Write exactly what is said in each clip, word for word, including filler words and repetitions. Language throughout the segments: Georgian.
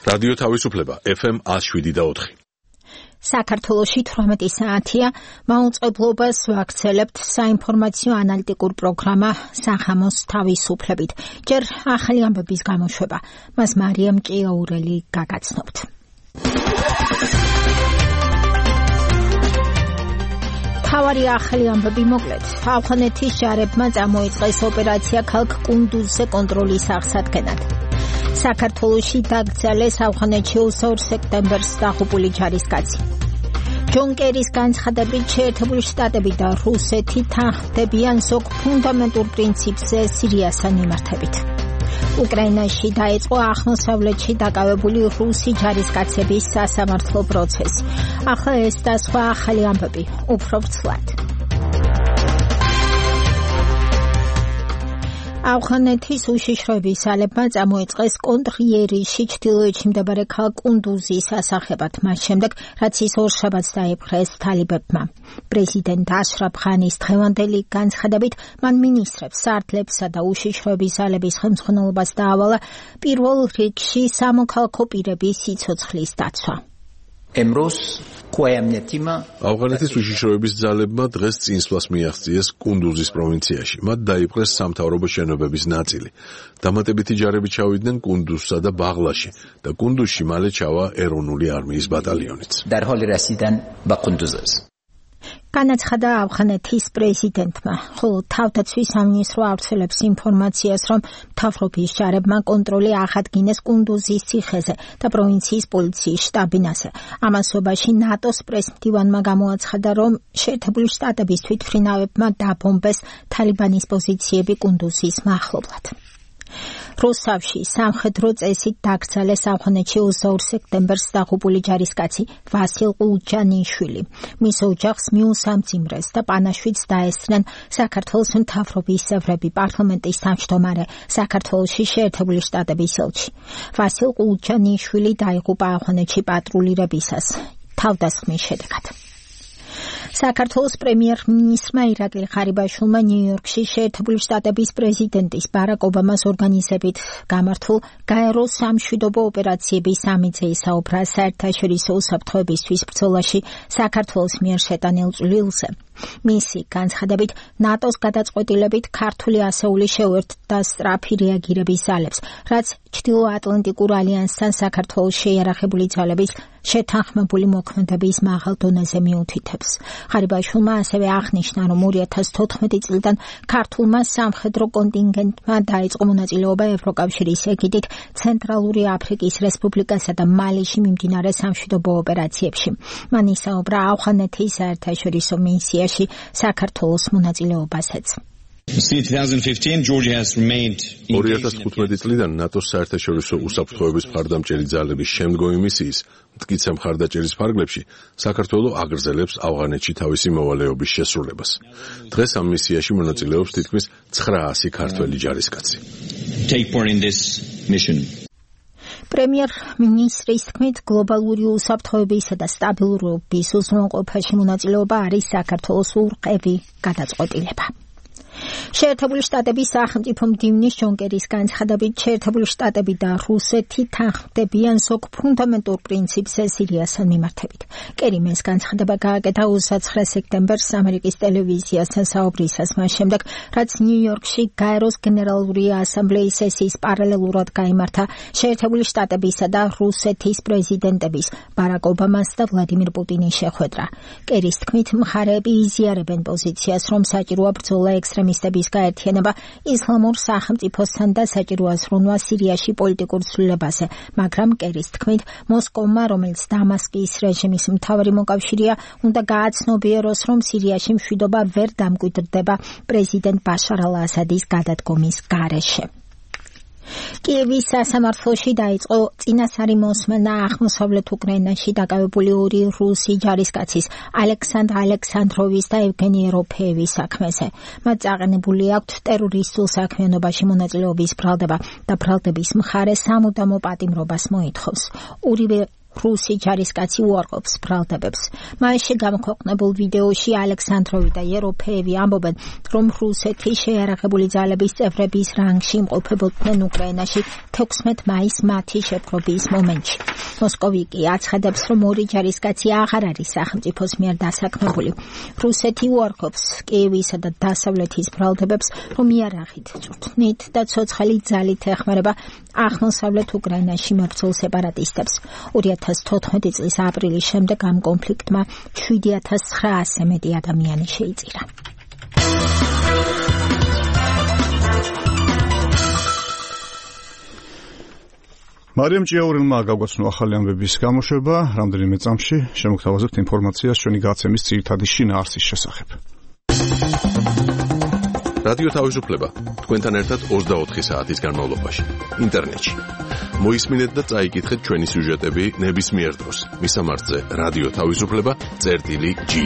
რადიო თავისუფლება ეფ ემ one oh seven point four. საქართველოში თვრამეტი საათია, მაუწყებლობას ვაქცელებთ საინფორმაციო ანალიტიკურ პროგრამა სახამოს თავისუფლებით. ჯერ ახალი ამბების გამოშვება, მას მარიამ ჭიაურელი გაგაცნობთ. თავარი ახალი ამბები მოკლედ. ავღანეთის ჯარებმა წამოიწყეს ოპერაცია ქალაქ კუნდუზზე კონტროლის აღსადგენად. საქართველოში დაკრძალეს ავღანეთში ოცდაორ სექტემბერს დაღუპული ჯარისკაცი. ჯონ კერის განცხადებით შეერთებული შტატები და რუსეთი თანხმდებიან ზოგ ფუნდამენტურ პრინციპზე სირიასთან მიმართებით. უკრაინაში დაიწყო აღმოსავლეთში დაკავებული რუსი ჯარისკაცების სასამართლო პროცესი. ახლა ეს და სხვა ახალი ამბები უფრო ვრცლად. ავღანეთის უშიშროების ძალებმა წამოიწყეს კონტრიერიში ჩრდილოეთში მდებარე ქალაქ კუნდუზის ასახებად, მას შემდეგ, რაც ის ორშაბათს დაიპყრეს თალიბებმა. პრეზიდენტ აშრაფ ღანის დღევანდელი განცხადებით, მან მინისტრებს, სარდლებსა და უშიშროების ძალების ხელმძღვანელობას დაავალა პირველ რიგში სამოქალაქო პირების სიცოცხლის დაცვა. ავღანეთის უშიშროების ძალებმა დღეს წინსვლას მიაღწიეს კუნდუზის პროვინციაში. მათ დაიპყრეს სამთავრობო შენობების ნაწილი. დამატებითი ჯარები ჩავიდნენ კუნდუზსა და ბაღლაში და კუნდუზში მალე ჩავა ეროვნული არმიის ბატალიონიც. განაცხადა ავღანეთის პრეზიდენტმა, ხოლო თავდაცვის სამინისტრო ავრცელებს ინფორმაციას, რომ მთავრობის ჯარებმა კონტროლი აღადგინეს კუნდუზის ციხეზე და პროვინციის პოლიციის შტაბ-ბინაზე. ამასობაში ნატოს პრესმდივანმა გამოაცხადა, რომ შეერთებული შტატების თვითმფრინავებმა დაბომბეს თალიბანის პოზიციები კუნდუზის მახლობლად. რუსთავში სამხედრო წესით დაკრძალეს ავღანეთში ოცდაორ სექტემბერს დაღუპული ჯარისკაცი ვასილ ყულჯანიშვილი. მის ოჯახს მიუსამძიმრეს და პანაშვიდს დაესწრნენ საქართველოს მთავრობის წევრები, პარლამენტის თავმჯდომარე, საქართველოში შეერთებული შტატების ელჩი. ვასილ ყულჯანიშვილი დაიღუპა ავღანეთში პატრულირებისას თავდასხმის შედეგად. საქართველოს პრემიერ-მინისტრმა ირაკლი ღარიბაშვილმა ნიუ-იორკში შეერთებული შტატების პრეზიდენტის ბარაკ ობამას ორგანიზებით გამართულ გაერო სამშვიდობო ოპერაციების სამიძე ისაუბრა საერთაშორისო უსაფრთხოებისთვის ბრძოლაში საქართველოს მიერ შეტანილ წვლილზე. მისი განცხადებით, ნატოს გადაწყვეტილებით ქართული ასეული შეუერთდა სწრაფი რეაგირების ძალებს, რაც ჩრდილოატლანტიკურ ალიანსთან საქართველოს შეიარაღებული ძალების შეთანხმებული მოქმედების მაღალ დონეზე მიუთითებს. ღარიბაშვილმა ასევე აღნიშნა, რომ ორი ათას თოთხმეტი წლიდან ქართულმა სამხედრო კონტინგენტმა დაიწყო მონაწილეობა ევროკავშირის ეგიდით ცენტრალური აფრიკის რესპუბლიკასა და მალიში მიმდინარე სამშვიდობო ოპერაციებში. მან ისაუბრა ავღანეთის საერთაშორისო მისიაში საქართველოს მონაწილეობასაც. ორი ათას თხუთმეტი წლიდან ნატოს საერთაშორისო უსაფრთხოების მხარდამჭერი ძალების შემდგომი მისიის მტკიცე მხარდაჭერის ფარგლებში საქართველო აგრძელებს ავღანეთში თავისი მოვალეობის შესრულებას. დღეს ამ მისიაში მონაწილეობს თითქმის ცხრაასი ქართველი ჯარისკაცი. პრემიერ-მინისტრის თქმით, გლობალური უსაფრთხოებისა და სტაბილურობის უზრუნველყოფაში მონაწილეობა არის საქართველოს ურყევი გადაწყვეტილება. შეერთებული შტატების სახელმწიფო მდივნის ჯონ კერის განცხადებით, შეერთებული შტატები და რუსეთი თანხმდებიან ზოგ ფუნდამენტურ პრინციპზე სირიასთან მიმართებით. კერიმ ეს განცხადება გააკეთა ოცდაცხრე სექტემბერს ამერიკის ტელევიზიასთან საუბრისას, მას შემდეგ, რაც ნიუ-იორკში გაეროს გენერალური ასამბლეის სესიის პარალელურად გაიმართა შეერთებული შტატებისა და რუსეთის პრეზიდენტების ბარაკ ობამას და ვლადიმირ პუტინის შეხვედრა. კერის თქმით, მხარეები იზიარებენ პოზიციას, რომ საჭიროა ბრძოლა ექსტრემისტების გაერთიანება ისლამურ სახელმწიფოსთან და საჭიროა ზრუნვა სირიაში პოლიტიკურ ცვლილებაზე, მაგრამ კერის თქმით, მოსკოვმა, რომელიც დამასკის რეჟიმის მთავარი მოკავშირეა, უნდა გააცნობიეროს, რომ სირიაში მშვიდობა ვერ დამკვიდრდება პრეზიდენტ ბაშარ ალ-ასადის გადადგომის გარეშე. კიევის სასამართლოში დაიწყო წინასწარი მოსმენა აღმოსავლეთ უკრაინაში დაკავებული ორი რუსი ჯარისკაცის ალექსანდრ ალექსანდროვის და ევგენი ეროფეევის საქმეზე. მათ წაყენებული აქვთ ტერორისტულ საქმიანობაში მონაწილეობის ბრალდება და ბრალდების მხარე სამუდამო პატიმრობას მოითხოვს. ორივე რუსი ჯარისკაცი უარყოფს ბრალდებებს. მასში გამოქვეყნებულ ვიდეოში ალექსანდროვი და ეროფეევი ამბობენ, რომ რუსეთის შეიარაღებული ძალების წევრების რანგში იმყოფებოდნენ უკრაინაში თექვსმეტ მაისს მათი შეპყრობის მომენტში. მოსკოვი კი აცხადებს, რომ ორი ჯარისკაცი აღარ არის სახელმწიფოს მიერ დასაქმებული. რუსეთი უარყოფს კიევისა და დასავლეთის ბრალდებებს, რომ იარაღით, წვრთნით და ცოცხალი ძალით ეხმარება აღმოსავლეთ უკრაინაში მებრძოლ სეპარატისტებს. ორი ათას თოთხმეტი წლის აპრილის შემდეგ ამ კონფლიქტმა შვიდი ათას ცხრაასზე მეტი ადამიანი შეიწირა. მარიამ ჭიაურელმა გაგვაცნო ახალი ამბების გამოშვება, რამდენიმე წამში შემოგთავაზებთ ინფორმაციას ჩვენი გაცემის ძირითადი შინაარსის შესახებ. რადიო თავისუფლება თქვენთან ერთად ოცდაოთხი საათის განმავლობაში ინტერნეტში. მოისმინეთ და წაიკითხეთ ჩვენი სიუჟეტები ნებისმიერ დროს. მისამართზე რადიო თავისუფლება წერტილი ჯი.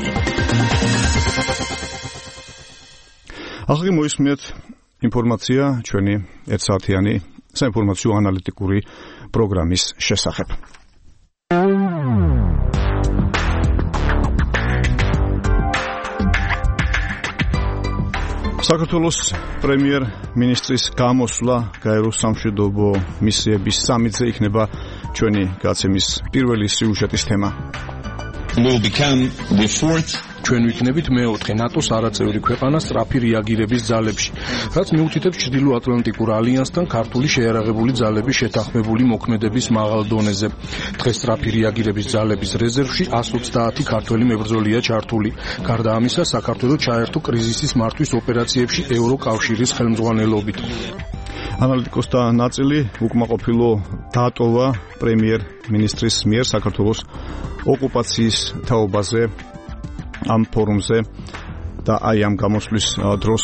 ახლა მოისმინეთ ინფორმაცია ჩვენი ერთსაათიანი საინფორმაციო ანალიტიკური პროგრამის შესახებ. საქართველოს პრემიერ-მინისტრის გამოსვლა გაეროს სამშვიდობო მისიების სამიტზე იქნება ჩვენი გაცემის პირველი სიუჟეტის თემა. Will become the fourth ჩვენ ვიქნებით მეოთხე ნატოს არაწევრი ქვეყანა სწრაფი რეაგირების ძალებში, რაც მიუთითებს ჩრდილო-ატლანტიკურ ალიანსთან ქართული შეიარაღებული ძალების შეთანხმებული მოქმედების მაღალ დონეზე. დღეს სწრაფი რეაგირების ძალების რეზერვში εκατს ოცდაათი ქართველი მებრძოლია ჩართული. გარდა ამისა, საქართველოს ჩაერთო კრიზისის მართვის ოპერაციებში ევროკავშირის ხელმძღვანელობით. ანალიტიკოსთა ნაწილი უკმაყოფილო დატოვა პრემიერ-მინისტრის მიერ საქართველოს ოკუპაციის თაობაზე ამ ფორუმზე და აი ამ გამოსვლის დროს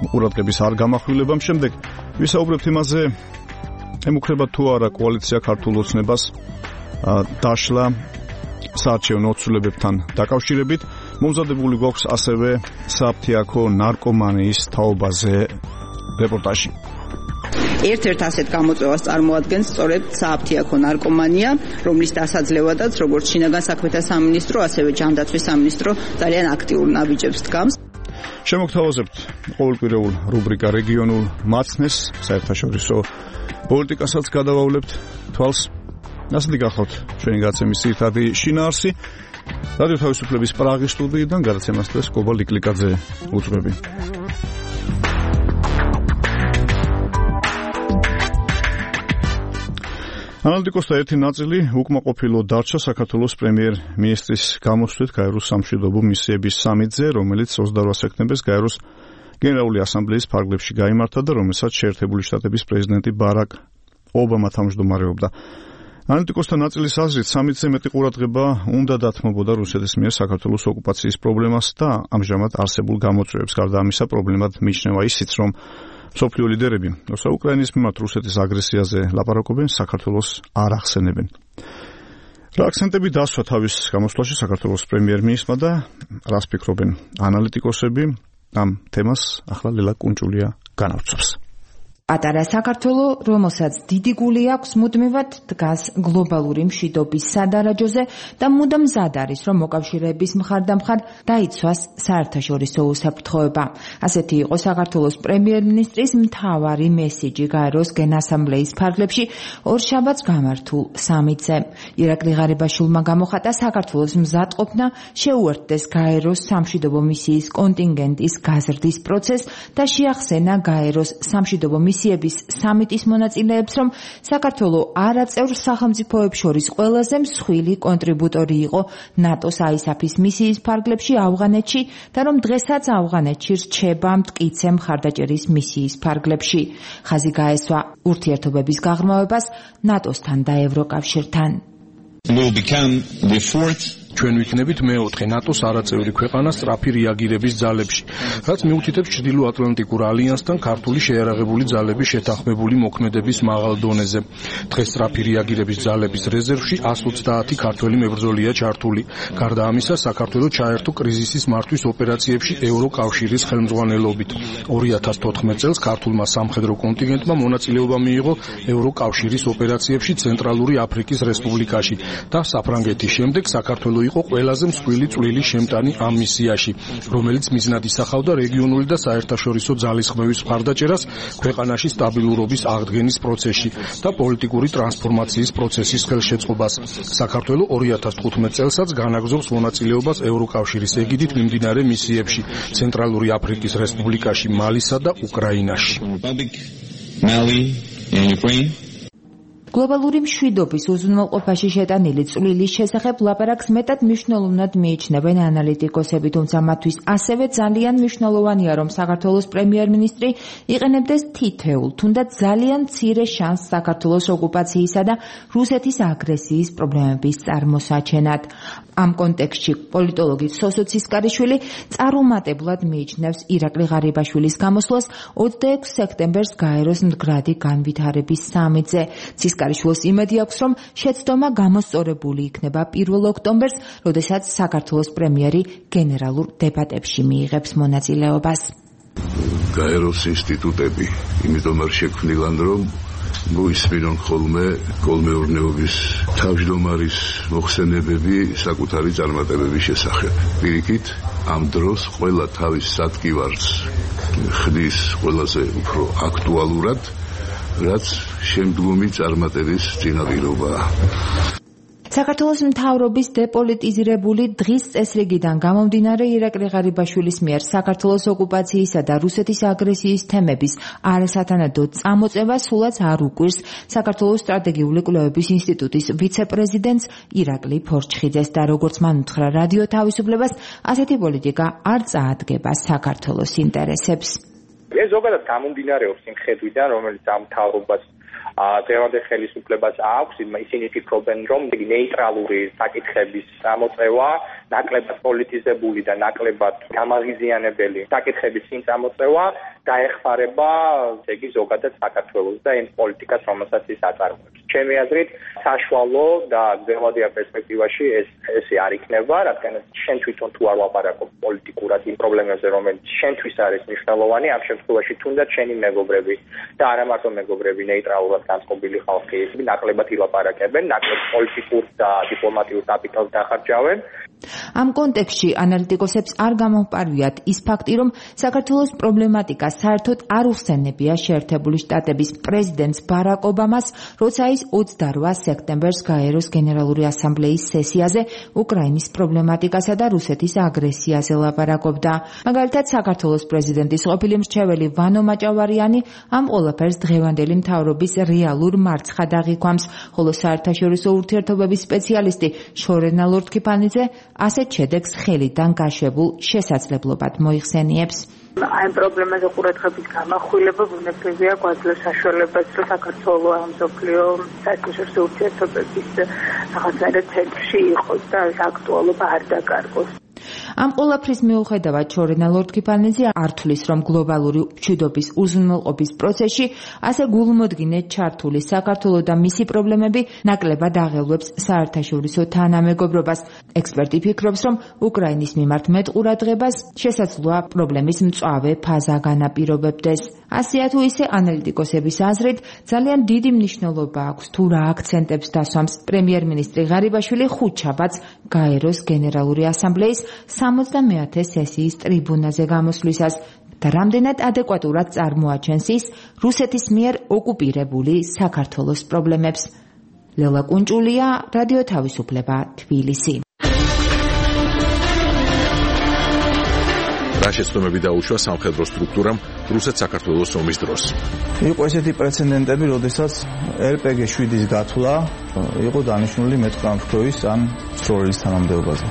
ყურადღების არ გამახვილებამ შემდეგ ვისაუბრებთ იმაზე, ემუქრება თუ არა კოალიცია ქართულ ოცნებას დაშლა საარჩევნო ცვლილებებთან დაკავშირებით. მომზადებული გვაქვს ასევე საფთიაქო ნარკომანიის თაობაზე რეპორტაჟი. ერთ-ერთ ასეთ გამოწვევას წარმოადგენს სწორედ საფთიაქო ნარკომანია, რომლის დასაძლევადაც როგორც შინაგან საქმეთა სამინისტრო, ასევე ჯანდაცვის სამინისტრო ძალიან აქტიურ ნაბიჯებს დგამს. შემოგთავაზებთ ყოველკვირეულ რუბრიკა რეგიონულ მაცნეს, საერთაშორისო პოლიტიკასაც გადავავლებთ თვალს. ასეთი გახლავთ ჩვენი გაცემის ძირითადი შინაარსი. რადიო თავისუფლების პრაღის სტუდიიდან გადაცემას დღეს კობა ლიკლიკაძე უძღვები. ანალიტიკოსთა ერთი ნაწილი უკმაყოფილო დარჩა საქართველოს პრემიერ-მინისტრის გამოსვლით გაეროს სამშვიდობო მისიების სამიტზე, რომელიც ოცდაორ სექტემბერს გაეროს გენერალური ასამბლეის ფარგლებში გაიმართა და რომელსაც შეერთებული შტატების პრეზიდენტი ბარაკ ობამა თავმჯდომარეობდა. ანალიტიკოსთა ნაწილის აზრით, სამიტზე მეტი ყურადღება უნდა დათმობოდა რუსეთის მიერ საქართველოს ოკუპაციის პრობლემას და ამჟამად არსებულ გამოწვევებს. გარდა ამისა, პრობლემად მიიჩნევა ისიც, რომ მსოფლიო ლიდერები როცა უკრაინის მიმართ რუსეთის აგრესიაზე ლაპარაკობენ, საქართველოს არ ახსენებენ. რა აქცენტები დასვა თავის გამოსვლაში საქართველოს პრემიერ-მინისტრმა და რას ფიქრობენ ანალიტიკოსები, ამ თემას ახლა ლელა კუნჭულია განავცობს. პატარა საქართველო, რომელსაც დიდი გული აქვს, მუდმივად დგას გლობალური მშვიდობის სადარაჯოზე და მუდამ მზად არის, რომ მოკავშირეების მხარდამხარ დაიცვას საერთაშორისო უსაფრთხოება. ასეთი იყო საქართველოს პრემიერ-მინისტრის მთავარი მესიჯი გაეროს გენასამბლეის ფარგლებში ორშაბათს გამართულ სამიტზე. ირაკლი ღარიბაშვილმა გამოხატა საქართველოს მზადყოფნა შეუერთდეს გაეროს სამშვიდობო მისიის კონტინგენტის გაზრდის პროცესს და შეახსენა გაეროს სამშვიდობო მისიების სამიტის მონაწილეებს, რომ საქართველო არაწევრ სახელმწიფოებს შორის ყველაზე მსხვილი კონტრიბუტორი იყო ნატოს აისაფის მისიის ფარგლებში ავღანეთში და რომ დღესაც ავღანეთში რჩება მტკიცე მხარდაჭერის მისიის ფარგლებში. ხაზი გაესვა ურთიერთობების გაღრმავებას ნატოსთან და ევროკავშირთან. will become the fourth ჩვენ ვიქნებით მეოთხე ნატოს არაწევრი ქვეყანა სწრაფი რეაგირების ძალებში, რაც მიუთითებს ჩრდილო-ატლანტიკურ ალიანსთან ქართული შეიარაღებული ძალების შეთანხმებული მოქმედების მაღალ დონეზე. დღეს სწრაფი რეაგირების ძალების რეზერვში εκατს ოცდაათი ქართველი მებრძოლია ჩართული. გარდა ამისა, საქართველო ჩაერთო კრიზისის მართვის ოპერაციებში ევროკავშირის ხელმძღვანელობით. ორი ათას თოთხმეტ წელს ქართულმა სამხედრო კონტინგენტმა მონაწილეობა მიიღო ევროკავშირის ოპერაციებში ცენტრალური აფრიკის რესპუბლიკაში და საფრანგეთის შემდეგ საქართველო იყო ყველაზე მსხვილი წვლილი შემტანი ამ მისიაში, რომელიც მიზნად ისახავდა რეგიონული და საერთაშორისო ძალისხმევის მხარდაჭერას ქვეყანაში სტაბილურობის აღდგენის პროცესში და პოლიტიკური ტრანსფორმაციის პროცესის ხელშეწყობას. საქართველო ორი ათას თხუთმეტ წელსაც განაგრძობს მონაწილეობას ევროკავშირის ეგიდით მიმდინარე მისიებში ცენტრალური აფრიკის რესპუბლიკაში, მალისა და უკრაინაში. გლობალური მშვიდობის უზრუნველყოფაში შეტანილი წვლილის შესახებ ლაპარაკს მეტად მნიშვნელოვნად მიიჩნევენ ანალიტიკოსები, თუმცა მათთვის ასევე ძალიან მნიშვნელოვანია, რომ საქართველოს პრემიერ-მინისტრი იყენებდეს თითეულ, თუნდაც ძალიან მცირე შანსს საქართველოს ოკუპაციისა და რუსეთის აგრესიის პრობლემების წარმოსაჩენად. ამ კონტექსტში პოლიტოლოგი სოსო ცისკარიშვილი წარუმატებლად მიიჩნევს ირაკლი ღარიბაშვილის გამოსვლას ოცდაექვსი სექტემბერს გაეროს მდგრადი განვითარების სამიტზე. ცისკარიშვილს იმედი აქვს, რომ შეცდომა გამოსწორებული იქნება პირველ ოქტომბერს, როდესაც საქართველოს პრემიერი გენერალურ დებატებში მიიღებს მონაწილეობას. გაეროს ინსტიტუტები იმიტომ არ შექმნილან, რომ მოისმინონ ხოლმე კოლმეურნეობის თავმჯდომარის მოხსენებები საკუთარი წარმატებების შესახებ. პირიქით, ამ დროს ყველა თავის სადგივარს ხდის ყველაზე უფრო აქტუალურად, რაც შემდგომი წარმატების წინაპირობაა. საქართველოს მთავრობის დეპოლიტიზირებული დღის წესრიგიდან გამომდინარე ირაკლი ღარიბაშვილის მიერ საქართველოს ოკუპაციისა და რუსეთის აგრესიის თემების არასათანადო წამოწევა სულაც არ უკვირს საქართველოს სტრატეგიული კვლევების ინსტიტუტის ვიცე-პრეზიდენტს ირაკლი ფორჩხიძეს და როგორც მან უთხრა რადიო თავისუფლებას, ასეთი პოლიტიკა არ წაადგება საქართველოს ინტერესებს. ეს ზოგადად გამომდინარეობს იმ ხედვიდან, რომელიც ამ მთავრობას დღევანდელ ხელისუფლებას აქვს, ისინი ფიქრობენ, რომ ნეიტრალური საკითხების წამოწევა, ნაკლებად პოლიტიზებული და ნაკლებად გამაღიზიანებელი საკითხების წინ წამოწევა დაეხმარება, ესე იგი, ზოგადად საქართველოს და იმ პოლიტიკას, რომელსაც ის აწარმოებს. ჩემი აზრით, საშუალო და გრძელვადიან პერსპექტივაში ეს ესე არ იქნება, რადგან შენ თვითონ თუ არ ვაპარაკობ პოლიტიკურად იმ პრობლემებზე, რომელიც შენთვის არის მნიშვნელოვანი, ამ შემთხვევაში თუნდაც შენი მეგობრები და არა მარტო მეგობრები, ნეიტრალურად განწყობილი ხალხი, ნაკლებად ილაპარაკებენ, ნაკლებად პოლიტიკურ და დიპლომატიურ კაპიტალს დახარჯავენ. ამ კონტექსტში ანალიტიკოსებს არ გამომპარვიათ ის ფაქტი, რომ საქართველოს პრობლემატიკა საერთოდ არ უხსენებია შეერთებული შტატების პრეზიდენტს ბარაკ ობამას, როცა ის ოცდარვა სექტემბერს გაეროს გენერალური ასამბლეის სესიაზე უკრაინის პრობლემატიკასა და რუსეთის აგრესიაზე ლაპარაკობდა. მაგალითად, საქართველოს პრეზიდენტის ყოფილი მრჩეველი ვანო მაჭავარიანი ამ ყველაფერს დღევანდელი მთავრობის რეალურ მარცხად აღიქვამს, ხოლო საერთაშორისო ურთიერთობების სპეციალისტი შორენა ლორთქიფანიძე ასეთ შედეგს ხელიდან გაშვებულ შესაძლებლობად მოიხსენიებს. Ამ პრობლემაზე ყურადღების გამახვილება ბუნებრივია გვაძლევს საშუალებას, რომ საქართველო ამ მსოფლიო საერთაშორისო ურთიერთობების რაღაცნაირად ცენტრში იყოს და ეს აქტუალობა არ დაკარგოს. ამ ყველაფრის მიუხედავად შორენა ლორთქიფანიძე არ თვლის, რომ გლობალური მშვიდობის უზრუნველყოფის პროცესში ასე გულმოდგინედ ჩართული საქართველო და მისი პრობლემები ნაკლებად აღელვებს საერთაშორისო თანამეგობრობას. ექსპერტი ფიქრობს, რომ უკრაინის მიმართ მეტ ყურადღებას შესაძლოა პრობლემის მწვავე ფაზა განაპირობებდეს. ასეა თუ ისე ანალიტიკოსების აზრით ძალიან დიდი მნიშვნელობა აქვს თუ რა აქცენტებს დასვამს პრემიერ-მინისტრი ღარიბაშვილი ხუთშაბათს გაეროს გენერალური ასამბლეის სამოცდამეათე სესიის ტრიბუნაზე გამოსვლისას და რამდენად ადეკვატურად წარმოაჩენს ის რუსეთის მიერ ოკუპირებული საქართველოს პრობლემებს. ლელა კუნჭულია, რადიო თავისუფლება, თბილისი. რა შეცდომები დაუშვა სამხედრო სტრუქტურამ რუსეთ-საქართველოს ომის დროს. იყო ესეთი პრეცედენტები, როდესაც ერ პე გი შვიდის გათვლა იყო დანიშნული მეტყამფრთოის ან სროლის თანამდებობაზე.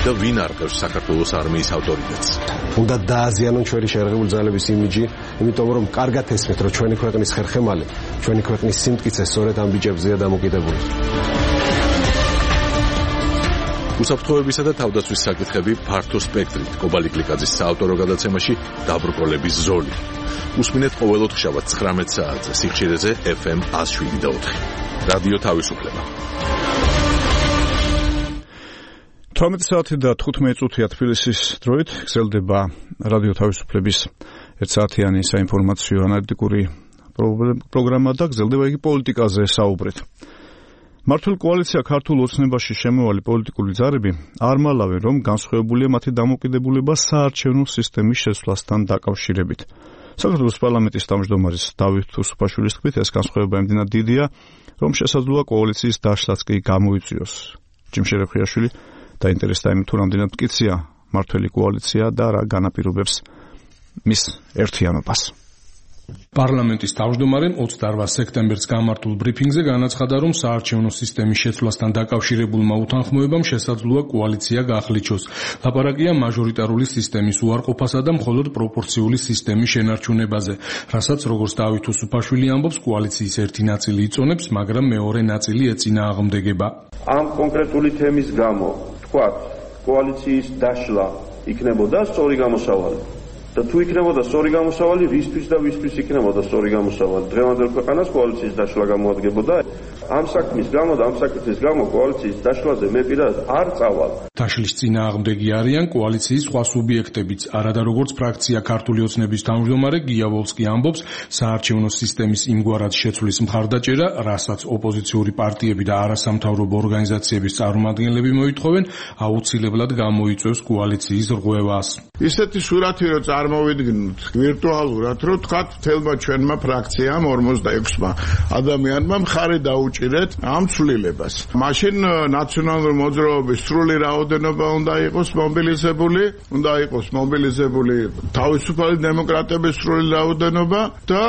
და ვინ არყევს საქართველოს არმიის ავტორიტეტს? უნდა დააზიანონ ჩვენი შეიარაღებული ძალების იმიჯი, იმიტომ რომ კარგად ესმით, რომ ჩვენი ქვეყნის ხერხემალი, ჩვენი ქვეყნის სიმტკიცე სწორედ ამ ბიჭებზეა დამოკიდებული. უსაფრთხოებისა და თავდაცვის საკითხები ფართო სპექტრით კობალი კლიკაძის საავტორო გადაცემაში დაბრკოლების ზოლი. უსმინეთ ყოველ ოთხშაბათ ცხრამეტ საათზე სიხშირეზე ეფ ემ ათას შვიდი და ოთხი. რადიო თავისუფლება. თორმეტი საათი და თხუთმეტი წუთია თბილისის დროით გრძელდება რადიო თავისუფლების ერთსაათიანი საინფორმაციო ანალიტიკური პროგრამა და გრძელდება იგი პოლიტიკაზე საუბრით. მართული კოალიცია ქართულ ოცნებაში შემოვალი პოლიტიკური ძალები არ მალავენ, რომ განსხვავებულია მათი დამოკიდებულება საარჩევნო სისტემის შეცვლასთან დაკავშირებით. საქართველოს პარლამენტის თავმჯდომარის დავით უსუფაშვილის თქმით, ეს განსხვავება იმდენად დიდია, რომ შესაძლოა კოალიციის დაშლაც კი გამოიწვიოს. ჯიმშე რეხვიაშვილი დაინტერესდა იმით, თუ რამდენად მტკიცია მართველი კოალიცია და რა განაპირობებს მის ერთიანობას. პარლამენტის თავმჯდომარემ ოცდაორ სექტემბერს გამართულ ბრიფინგზე განაცხადა, რომ საარჩევნო სისტემის შეცვლასთან დაკავშირებულმა უთანხმოებამ შესაძლოა კოალიცია გახლიჩოს. ლაპარაკია მაჟორიტარული სისტემის უარყოფასა და მხოლოდ პროპორციული სისტემის შენარჩუნებაზე, რასაც როგორც დავით უსუფაშვილი ამბობს, კოალიციის ერთი ნაწილი იწონებს, მაგრამ მეორე ნაწილი ეწინააღმდეგება. ამ კონკრეტული თემის გამო, თქვათ, კოალიციის დაშლა იქნებოდა სწორი გამოსავალი. და თუ იქნებოდა სწორი გამოსავალი, რისთვის და ვისთვის იქნებოდა სწორი გამოსავალი? დღევანდელ ქვეყანას კოალიციის დაშლა გამოადგებოდა. ამ საქმის გამო და ამ საკითხის გამო კოალიციის დაშლაზე მე პირადად არ წავალ. დაშლის წინააღმდეგი არიან კოალიციის სხვა სუბიექტებიც. არადა როგორც ფრაქცია ქართული ოცნების თავმჯდომარე გია ვოლსკი ამბობს, საარჩევნო სისტემის იმგვარად შეცვლის მხარდაჭერა, რასაც ოპოზიციური პარტიები და არასამთავრობო ორგანიზაციების წარმომადგენლები მოითხოვენ, აუცილებლად გამოიწვევს კოალიციის რღვევას. ისეთი სურათი რო წარმოვიდგინოთ ვირტუალურად, რომ თქვათ თელმა ჩვენმა ფრაქციამ ორმოცდაექვსმა ადამიანმა მხარე დაუჭირეთ ამ ცვლილებას. მაშინ ნაციონალური მოძრაობის სრული რაოდენობა უნდა იყოს მობილიზებული, უნდა იყოს მობილიზებული თავისუფალი დემოკრატების სრული რაოდენობა და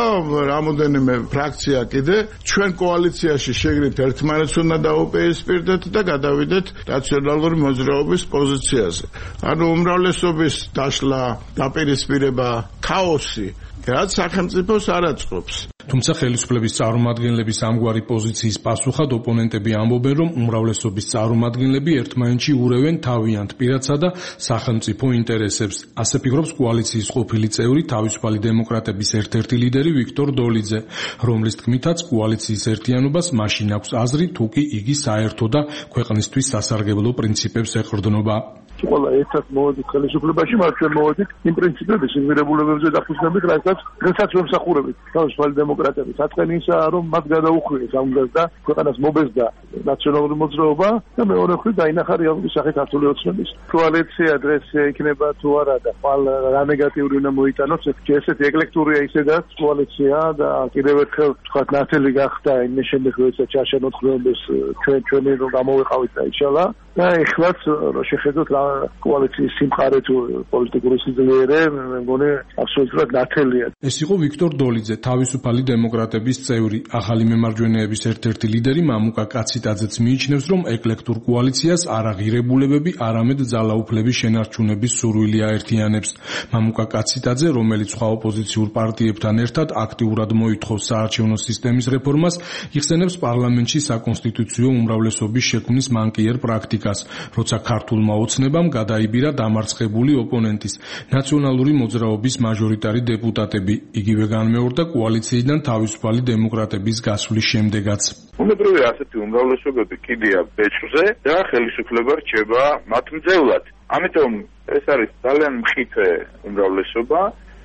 რამოდენიმე ფრაქცია კიდე ჩვენ კოალიციაში შეგრით ერთმანეთს უნდა დაუპირისპირდეთ და გადავიდეთ ნაციონალური მოძრაობის პოზიციაზე. ანუ უმრავლესობის დაშლა, დაპირისპირება, ქაოსი, რაც სახელმწიფოს არ აწყობს. თუმცა ხელისუფლების წარმომადგენლების ამგვარი პოზიციის პასუხად ოპონენტები ამბობენ, რომ უმრავლესობის წარმომადგენლები ერთმანეთში ურევენ თავიანთ პირადსა და სახელმწიფო ინტერესებს. ასე ფიქრობს კოალიციის ყოფილი წევრი თავისუფალი დემოკრატების ერთ-ერთი ლიდერი ვიქტორ დოლიძე, რომლის თქმითაც კოალიციის ერთიანობას მაშინ აქვს აზრი, თუ კი იგი საერთო და ქვეყნისთვის სასარგებლო პრინციპებს ეყრდნობა. ყველა ერთად მოვედით ხელისუფლებაში, მათ ჩვენ მოვედით იმ პრინციპების, იმ ღირებულებებზე დაფუძნებით, რასაც დღესაც ვემსახურებით. თავისუფალი დემოკრატები საწყენი ისაა, რომ მათ გადაუხვიეს ამ დღეს და ქვეყანას მობეზდა ნაციონალური მოძრაობა და მეორე მხრივ დაინახა რეალური სახე ქართული ოცნების. კოალიცია დღეს იქნება თუ არა და ხვალ რა ნეგატიური უნდა მოიტანოს, ესეთი ეკლექტურია ისედაც კოალიცია და კიდევ ერთხელ თქვა ნათელი გახდა იმის შემდეგ, როდესაც ჩაშენოთ ხმების ჩვენ ჩვენი რომ გამოვიყავით და იშალა და ეხლაც რო შეხედოთ რა კოალიციის სიმყარე თუ პოლიტიკური სიძლიერე, მე მგონი აბსოლუტურად ნათელია. ეს იყო ვიქტორ დოლიძე, თავისუფალი დემოკრატების წევრი. ახალი მემარჯვენეების ერთ-ერთი ლიდერი მამუკა კაციტაძეც მიიჩნევს, რომ ეკლექტურ კოალიციას არა ღირებულებები, არამედ ძალაუფლების შენარჩუნების სურვილი აერთიანებს. მამუკა კაციტაძე, რომელიც სხვა ოპოზიციურ პარტიებთან ერთად აქტიურად მოითხოვს საარჩევნო სისტემის რეფორმას, იხსენებს პარლამენტში საკონსტიტუციო უმრავლესობის შექმნის მანკიერ პრაქტიკას, როცა ქართულმა ოცნებამ გადაიბირა დამარცხებული ოპონენტის ნაციონალური მოძრაობის მაჟორიტარი დეპუტატები. იგივე განმეორდა კოალიციიდან თავისუფალი დემოკრატების გასვლის შემდეგაც. უნებრივია ასეთი უმრავლესობები კიდია ბეჭვზე და ხელისუფლება რჩება მათ მძევლად. ამიტომ ეს არის ძალიან მხიფე უმრავლესობა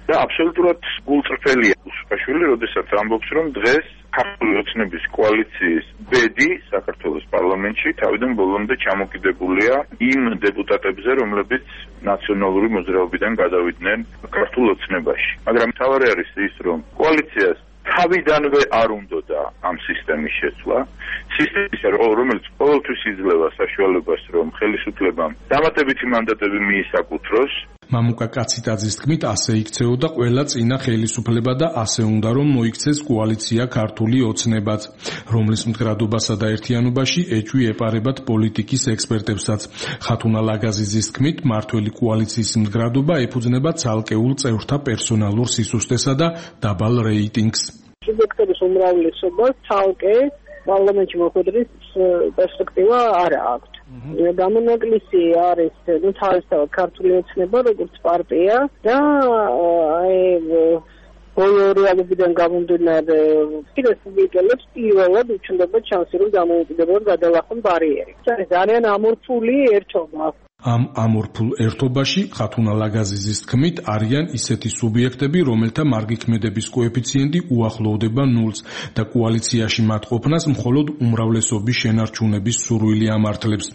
და აბსოლუტურად გულწრფელია უსუფაშვილი, როდესაც ამბობს, რომ დღეს ქართული ოცნების კოალიციის ბედი საქართველოს პარლამენტში თავიდან ბოლომდე ჩამოკიდებულია იმ დეპუტატებზე, რომლებიც ნაციონალური მოძრაობიდან გადავიდნენ ქართულ ოცნებაში. მაგრამ მთავარი არის ის, რომ კოალიციას თავიდანვე არ უნდოდა ამ სისტემის შეცვლა. სისტემის, რომელიც ყოველთვის იძლევა საშუალებას, რომ ხელისუფლებამ დამატებითი მანდატები მიისაკუთროს. მამუკა კაციტაძის თქმით, ასე იქცეოდა ყველა წინა ხელისუფლება და ასე უნდა რომ მოიქცეს კოალიცია ქართული ოცნებაც, რომლის მდგრადობასა და ერთიანობაში ეჭვი ეპარებათ პოლიტიკის ექსპერტებსაც. ხათუნა ლაგაზიძის თქმით, მართველი კოალიციის მდგრადობა ეფუძნება ცალკეულ წევრთა პერსონალურ სისუსტესა და დაბალ რეიტინგს. სუბიექტების უმრავლესობას ცალკე პარლამენტში მოხვედრის პერსპექტივა არ აქვს. გამონაკლისი არის ნუ თავისთავად ქართული ოცნება როგორც პარტია და აი ბოლო რეალობიდან გამომდინარე რესპუბლიკელებს პირველად უჩნდება ჩანსი რომ დამოუკიდებლად გადალახონ ბარიერი. ეს ძალიან ამორფული ერთობა. ამ ამორფულ ერთობაში ხათუნა ლაგაზიძის თქმით არიან ისეთი სუბიექტები, რომელთა მარგიქმედების კოეფიციენტი უახლოვდება ნულს და კოალიციაში მათ ყოფნას მხოლოდ უმრავლესობის შენარჩუნების სურვილი ამართლებს.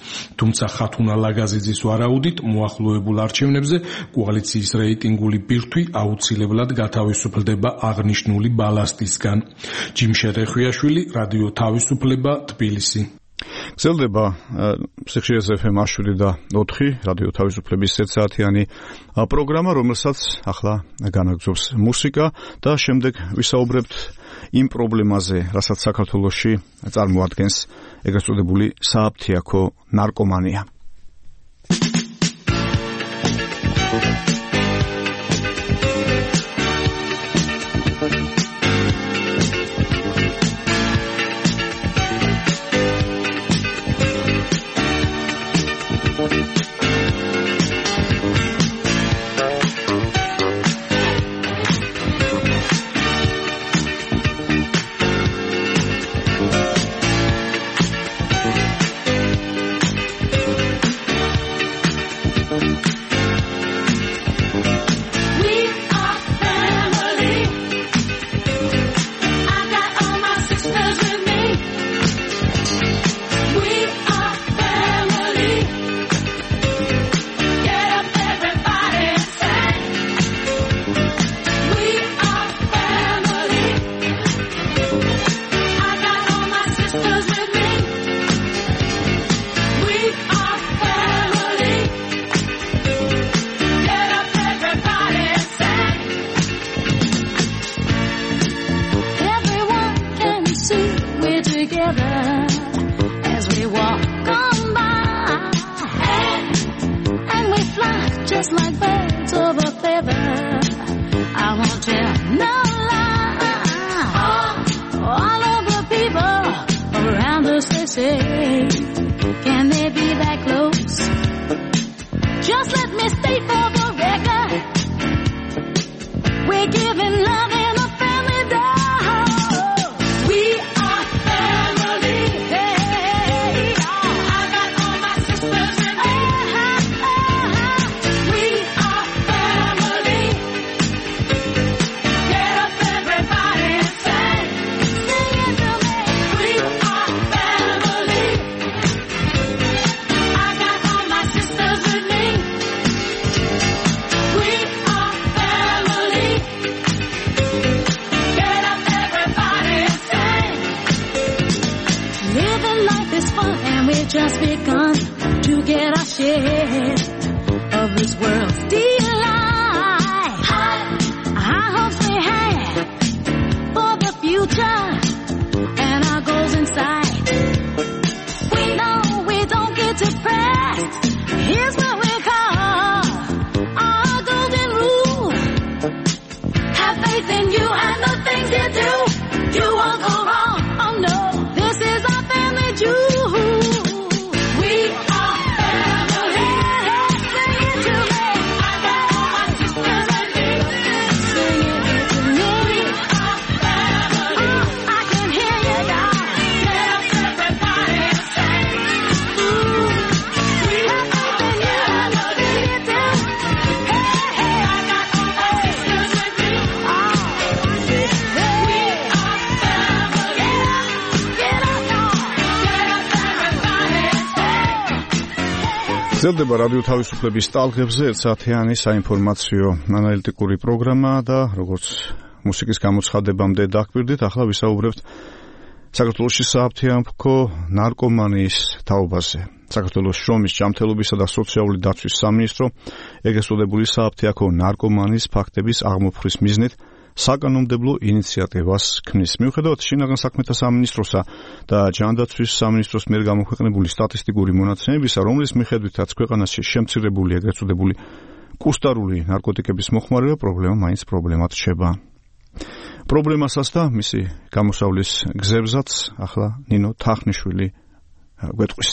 თუმცა ხათუნა ლაგაზიძის ვარაუდით მოახლოებულ არჩევნებზე კოალიციის რეიტინგული ბირთვი აუცილებლად გათავისუფლდება აღნიშნული ბალასტისგან. ჯიმშე რეხვიაშვილი, რადიო თავისუფლება, თბილისი. გრძელდება სიხშირეზე ეფ ემ შვიდი და ოთხი რადიო თავისუფლების ერთსაათიანი პროგრამა, რომელსაც ახლა განაგრძობს მუსიკა და შემდეგ ვისაუბრებთ იმ პრობლემაზე, რასაც საქართველოში წარმოადგენს ეგრეთ წოდებული სააფთიაქო ნარკომანია. გრძელდება რადიო თავისუფლების ტალღებზე ერთსაათიანი საინფორმაციო ანალიტიკური პროგრამა და როგორც მუსიკის გამოცხადებამდე დაგვირდით, ახლა ვისაუბრებთ საქართველოში სააფთიაქო ნარკომანიის თაობაზე. საქართველოს შრომის, ჯანმრთელობისა და სოციალური დაცვის სამინისტრო ეგრეთ წოდებული სააფთიაქო ნარკომანიის ფაქტების აღმოფხრის მიზნით საკანონმდებლო ინიციატივას ქმნის. მიუხედავად შინაგან საქმეთა სამინისტროსა და ჯანდაცვის სამინისტროს მიერ გამოქვეყნებული სტატისტიკური მონაცემებისა, რომლის მიხედვითაც ქვეყანაში შემცირებული ეგრეთ წოდებული კუსტარული ნარკოტიკების მოხმარება პრობლემა მაინც პრობლემად რჩება. პრობლემასაც და მისი გამოსავლის გზებსაც ახლა ნინო თახნიშვილი გვეტყვის.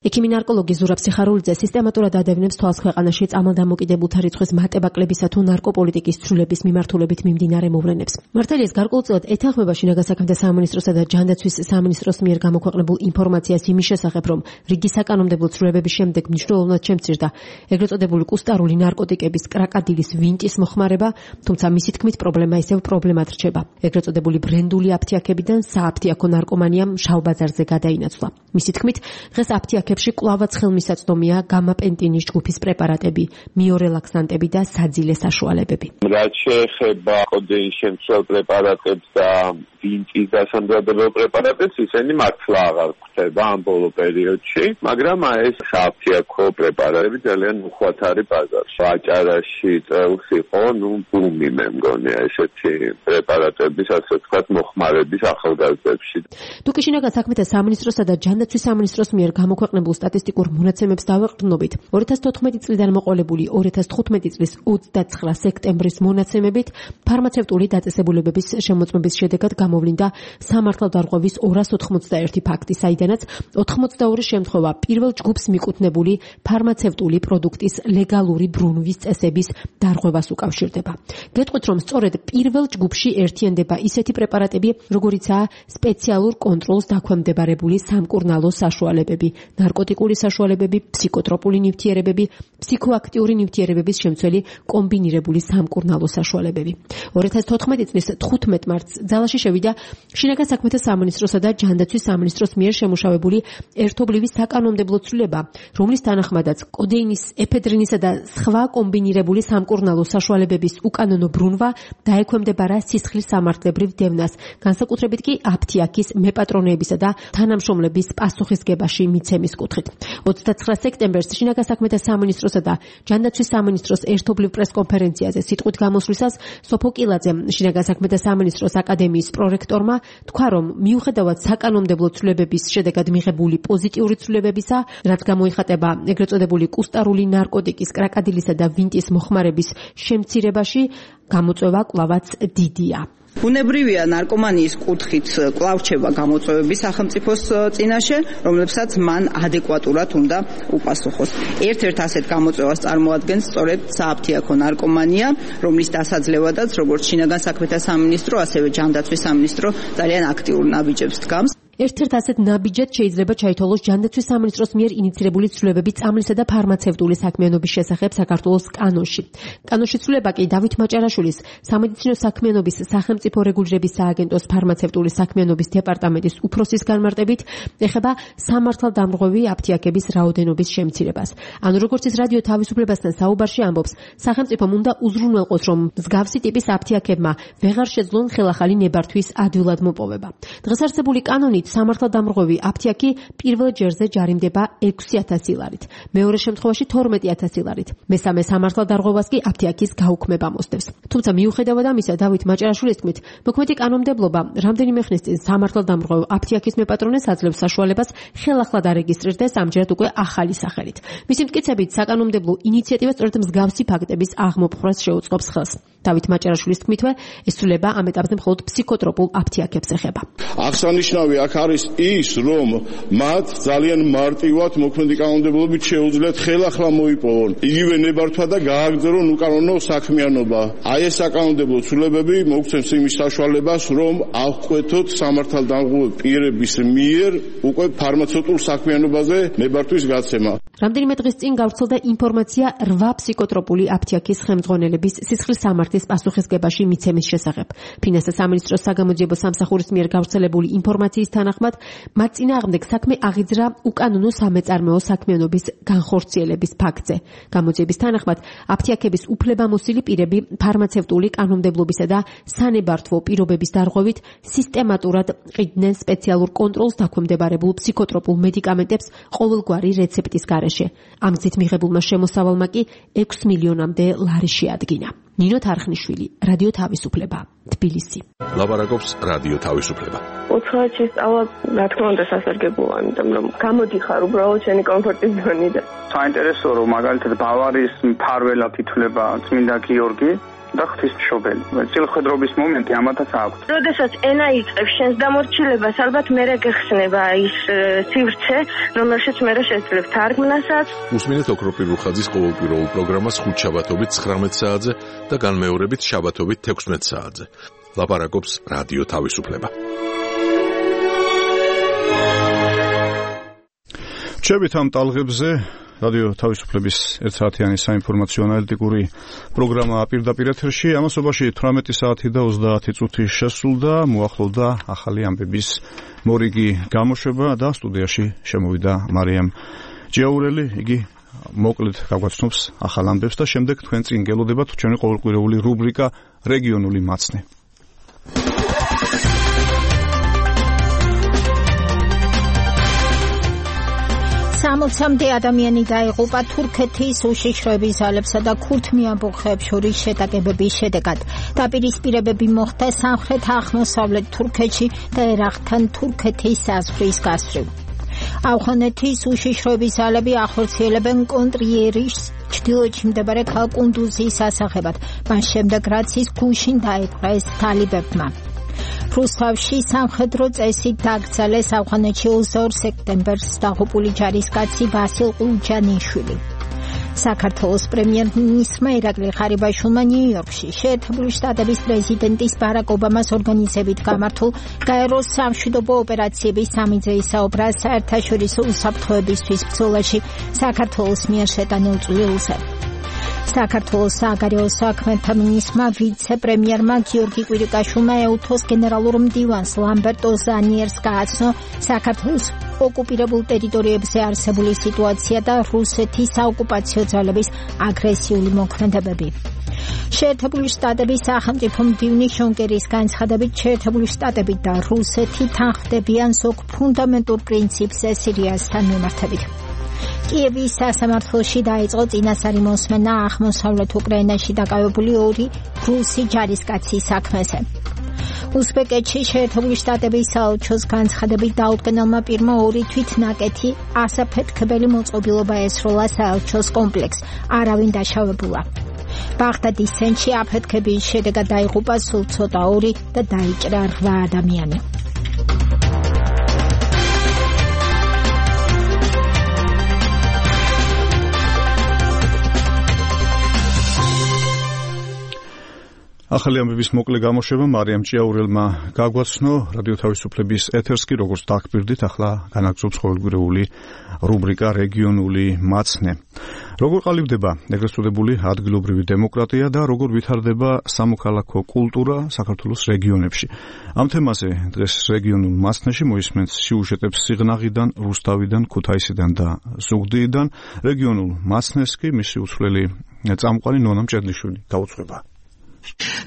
ექიმი ნარკოლოგი ზურაბ სიხარულიძე სისტემატურად ადევნებს თვალს ქვეყანაში წამალდამოკიდებულთა რიცხვის მატებაკლებისა თუ ნარკოპოლიტიკის ცვლილების მიმართულებით მიმდინარე მოვლენებს. მართალია ეს გარკვეულწილად ეთანხმება შინაგან საქმეთა სამინისტროსა და ჯანდაცვის სამინისტროს მიერ გამოქვეყნებულ ინფორმაციას იმის შესახებ, რომ რიგი საკანონმდებლო ცვლილებების შემდეგ მნიშვნელოვნად შემცირდა ეგრეთ წოდებული კუსტარული ნარკოტიკების კრაკადილის ვინტის მოხმარება, თუმცა მისი თქმით პრობლემა ისევ პრობლემად რჩება. ეგრეთ წოდებული ბრენდული აფთიაქებიდან სააფთიაქო ნარკომანიამ შავ ბაზარზე გადაინაცვლა. მისი თქმით, დღეს აფთიაქები კლავაც ხელმისაწვდომია გამაპენტინის ჯგუფის პრეპარატები, მიორელაქსანტები და საძილე საშუალებები. რაც შეეხება კოდეინის შემცველ პრეპარატებს და ვინტის დასამზადებელ პრეპარატებს, ისინი მართლა აღარ გვხვდება ამ ბოლო პერიოდში, მაგრამ ეს სააფთიაქო პრეპარატები ძალიან უხვად არის ბაზარში. აჭარაში წელს იყო, ნუ ბუმი მე მგონია ესეთი პრეპარატების, ასე ვთქვათ, მოხმარების ახალგაზრდებში. თუკი შინაგან საქმეთა სამინისტროსა და ჯანდაცვის სამინისტროს მიერ გამოქვეყნებულ სტატისტიკურ მონაცემებს დავეყრდნობით, ორი ათას თოთხმეტი წლიდან მოყოლებული ორი ათას თხუთმეტი წლის ოცდაცხრა სექტემბრის მონაცემებით ფარმაცევტული დაწესებულებების შემოწმების შედეგად გამოვლინდა სამართალდარღვევის ორას ოთხმოცდაერთი ფაქტი, საიდანაც ოთხმოცდაორი შემთხვევა პირველ ჯგუფს მიკუთვნებული ფარმაცევტული პროდუქტის ლეგალური ბრუნვის წესების დარღვევას უკავშირდება. გეტყვით, რომ სწორედ პირველ ჯგუფში ერთიანდება ისეთი პრეპარატები, როგორიცაა სპეციალურ კონტროლს დაქვემდებარებული სამკურნალო საშუალებები, ნარკოტიკული საშუალებები, ფსიქოტროპული ნივთიერებები, ფსიქოაქტიური ნივთიერებების შემცველი კომბინირებული სამკურნალო საშუალებები. ორი ათას თოთხმეტი წლის თხუთმეტ მარტს ძალაში შევიდა შინაგან საქმეთა სამინისტროსა და ჯანდაცვის სამინისტროს მიერ შემუშავებული ერთობლივი საკანონმდებლო ცვლილება, რომლის თანახმადაც კოდეინის, ეფედრინისა და სხვა კომბინირებული სამკურნალო საშუალებების უკანონო ბრუნვა დაექვემდებარა სისხლის სამართლებრივ დევნას, განსაკუთრებით კი აფთიაქის მეპატრონეებისა და თანამშრომლების პასუხისგებაში მიცემის კუთხით. ოცდაცხრა სექტემბერს შინაგან საქმეთა სამინისტროსა და ჯანდაცვის სამინისტროს ერთობლივ პრესკონფერენციაზე სიტყვით გამოსვლისას სოფო კილაძე, შინაგან საქმეთა სამინისტროს აკადემიის პრორექტორმა, თქვა, რომ მიუხედავად საკანონმდებლო ცვლილებების შედეგად მიღებული პოზიტიური ცვლილებებისა, რაც გამოიხატება ეგრეთ წოდებული კუსტარული ნარკოტიკის, კრაკადილისა და ვინტის მოხმარების შემცირებაში, გამოწვევა კვლავაც დიდია. ბუნებრივია ნარკომანიის კუთხით კვლავ რჩება გამოწვევები სახელმწიფოს წინაშე, რომლებსაც მან ადეკვატურად უნდა უპასუხოს. ერთ-ერთ ასეთ გამოწვევას წარმოადგენს სწორედ სააფთიაქო ნარკომანია, რომლის დასაძლევადაც როგორც შინაგან საქმეთა სამინისტრო, ასევე ჯანდაცვის სამინისტრო ძალიან აქტიურ ნაბიჯებს დგამს. ერთ-ერთ ასეთ ნაბიჯად შეიძლება ჩაითვალოს ჯანდაცვის სამინისტროს მიერ ინიცირებული ცვლილებები წამლისა და ფარმაცევტული საქმიანობის შესახებ საქართველოს კანონში. კანონში ცვლილება კი დავით მაჭარაშვილის სამედიცინო საქმიანობის სახელმწიფო რეგულირების სააგენტოს ფარმაცევტული საქმიანობის დეპარტამენტის უფროსის განმარტებით ეხება სამართალდამრღვევი აფთიაქების რაოდენობის შემცირებას. ანუ როგორც ის რადიო თავისუფლებასთან საუბარში ამბობს, სახელმწიფომ უნდა უზრუნველყოს, რომ მსგავსი ტიპის აფთიაქებმა ვეღარ შეძლონ ხელახალი ნებართვის ადვილად მოპოვება. დღეს არსებული კანონით სამართალდამრღვევი აფთიაქი პირველ ჯერზე ჯარიმდება ექვსი ათასი ლარით, მეორე შემთხვევაში თორმეტი ათასი ლარით. მესამე სამართალდარღვევას კი აფთიაქის გაუქმება მოსდევს. თუმცა მიუხედავად ამისა, დავით მაჭარაშვილის თქმით, მოქმედი კანონმდებლობა რამდენიმე ხნის წინ სამართალდამრღვევ აფთიაქის მეპატრონეს აძლევს საშუალებას ხელახლად არეგისტრირდეს ამჯერად უკვე ახალი სახელით. მისი მტკიცებით, საკანონმდებლო ინიციატივა სწორედ მსგავსი ფაქტების აღმოფხვრას შეუწყობს ხელს. დავით მაჭარაშვილის თქმითვე, ეს ცვლილება ამ ეტაპზე მხოლოდ ფსიქოტროპულ აფთიაქებს ეხება. აღსანიშნავი აქ არის ის, რომ მათ ძალიან მარტივად მოქმედი კანონმდებლობით შეუძლიათ ხელახლა მოიპოვონ იგივე ნებართვა და გააგრძელონ უკანონო საქმიანობა. აი ეს საკანონმდებლო ცვლილებები მოგცემს იმის საშუალებას, რომ აღკვეთოთ სამართალდამრღვევი პირების მიერ უკვე ფარმაცევტულ საქმიანობაზე ნებართვის გაცემა. რამდენიმე დღის წინ გავრცელდა ინფორმაცია რვა ფსიქოტროპული აფთიაქის ხელმძღვანელების სისხლის სამართლის პასუხისგებაში მიცემის შესახებ. ფინანსთა სამინისტროს საგამოძიებო სამსახურის მიერ გავრცელებული ინფორმაციის თანახმად, მათ წინააღმდეგ საქმე აღიძრა უკანონო სამეწარმეო საქმიანობის განხორციელების ფაქტზე. გამოძიების თანახმად, აფთიაქების უფლებამოსილი პირები ფარმაცევტული კანონმდებლობისა და სანებართვო პირობების დარღვევით სისტემატურად ყიდნენ სპეციალურ კონტროლს დაქვემდებარებულ ფსიქოტროპულ მედიკამენტებს ყოველგვარი რეცეპტის გარეშე. ამ გზით მიღებულმა შემოსავალმა კი ექვს მილიონამდე ლარი შეადგინა. ნინო თარხნიშვილი, რადიო თავისუფლება, თბილისი. ლაპარაკობს რადიო თავისუფლება. ოთხ შესწავლა, რა თქმა უნდა, სასარგებლოა, იმიტომ რომ გამოდიხარ უბრალოდ შენი კომფორტის ზონიდან. საინტერესოა, რომ მაგალითად ბავარიის მფარველად ითვლება წმინდა გიორგი და ღვთისმშობელი. წილხედრობის მომენტი ამათაც აქვს. როდესაც ენა იწყებს შენს დამორჩილებას, ალბათ მერე გეხსნება ის სივრცე, რომელშიც მერე შეძლებ თარგმნასაც. უსმინეთ ოქროპირ რუხაძის ყოველკვირეულ პროგრამას ხუთ შაბათობით ცხრამეტ საათზე და განმეორებით შაბათობით თექვსმეტ საათზე. ლაპარაკობს რადიო თავისუფლება. ჩებით ამ ტალღებზე რადიო თავისუფლების ერთსაათიანი საინფორმაციო ანალიტიკური პროგრამა პირდაპირ ეთერში. ამასობაში თვრამეტი საათი და ოცდაათი წუთი შესრულდა, მოახლოვდა ახალი ამბების მორიგი გამოშვება და სტუდიაში შემოვიდა მარიამ ჯიაურელი. იგი მოკლედ გაგვაცნობს ახალ ამბებს და შემდეგ თქვენ წინ გელოდებათ ჩვენი ყოველკვირეული რუბრიკა რეგიონული მაცნე. სამოცამდე ადამიანი დაიღუპა თურქეთის უშიშროების ძალებსა და ქურთ მეამბოხეებს შორის შეტაკებების შედეგად. დაპირისპირებები მოხდა სამხრეთ-აღმოსავლეთ თურქეთში და ერაყთან თურქეთის საზღვრის გასწვრივ. ავღანეთის უშიშროების ძალები ახორციელებენ კონტრიერის ჩრდილოეთში მდებარე ქალაქ კუნდუზის ასაღებად, მას შემდეგ რაც ის გუშინ დაიპყრეს თალიბებმა. რუსთავში სამხედრო წესით დაკრძალეს ავღანეთში ოცდაორ სექტემბერს დაღუპული ჯარისკაცი ვასილ ყუჯანიშვილი. საქართველოს პრემიერ-მინისტრმა ირაკლი ღარიბაშვილმა ნიუ-იორკში შეერთებული შტატების პრეზიდენტის ბარაკ ობამას ორგანიზებით გამართულ გაეროს სამშვიდობო ოპერაციების სამი დღის საუბრა საერთაშორისო უსაფრთხოებისთვის ბრძოლაში საქართველოს მიერ შეტანილ წვლილზე. საქართველოს სააგარეო საქმეთა მინისტრმა ვიცე-პრემიერმა გიორგი კვირიკაშვილმა ეუთოს გენერალურ მდივანს ლამბერტო ზანიერს გააცნო საქართველოს ოკუპირებულ ტერიტორიებზე არსებული სიტუაცია და რუსეთის საოკუპაციო ძალების აგრესიული მოქმედებები. შეერთებული შტატების სახელმწიფო მდივნის შონ კერის განცხადებით შეერთებული შტატები და რუსეთი თანხმდებიან ზოგ ფუნდამენტურ პრინციპზე სირიასთან მიმართებით. კიევის სასამართლოში დაიწყო წინასწარი მოსმენა აღმოსავლეთ უკრაინაში დაკავებული ორი რუსი ჯარისკაცის საქმეზე. უზბეკეთში შეერთებული შტატების საელჩოს განცხადებით დაუდგენელმა პირმა ორი თვითნაკეთი ასაფეთქებელი მოწყობილობა ესროლა საელჩოს კომპლექსს, არავინ დაშავებულა. ბაღდადის ცენტრში აფეთქების შედეგად დაიღუპა სულ ცოტა ორი და დაიჭრა რვა ადამიანი. ახალი ამბების მოკლე გამოშვება მარიამ ჭიაურელმა გაგვაცნო რადიო თავისუფლების ეთერს კი როგორც დაგპირდით ახლა განაგრძობს ყოველკვირეული რუბრიკა რეგიონული მაცნე. როგორ ყალიბდება ეგრეთ წოდებული ადგილობრივი დემოკრატია და როგორ ვითარდება სამოქალაქო კულტურა საქართველოს რეგიონებში. ამ თემაზე დღეს რეგიონულ მაცნეში მოისმენთ სიუჟეტებს სიღნაღიდან, რუსთავიდან, ქუთაისიდან და ზუგდიდიდან. რეგიონულ მაცნეს კი მისი უცვლელი წამყვანი ნონა მჭედლიშვილი გაუძღვება.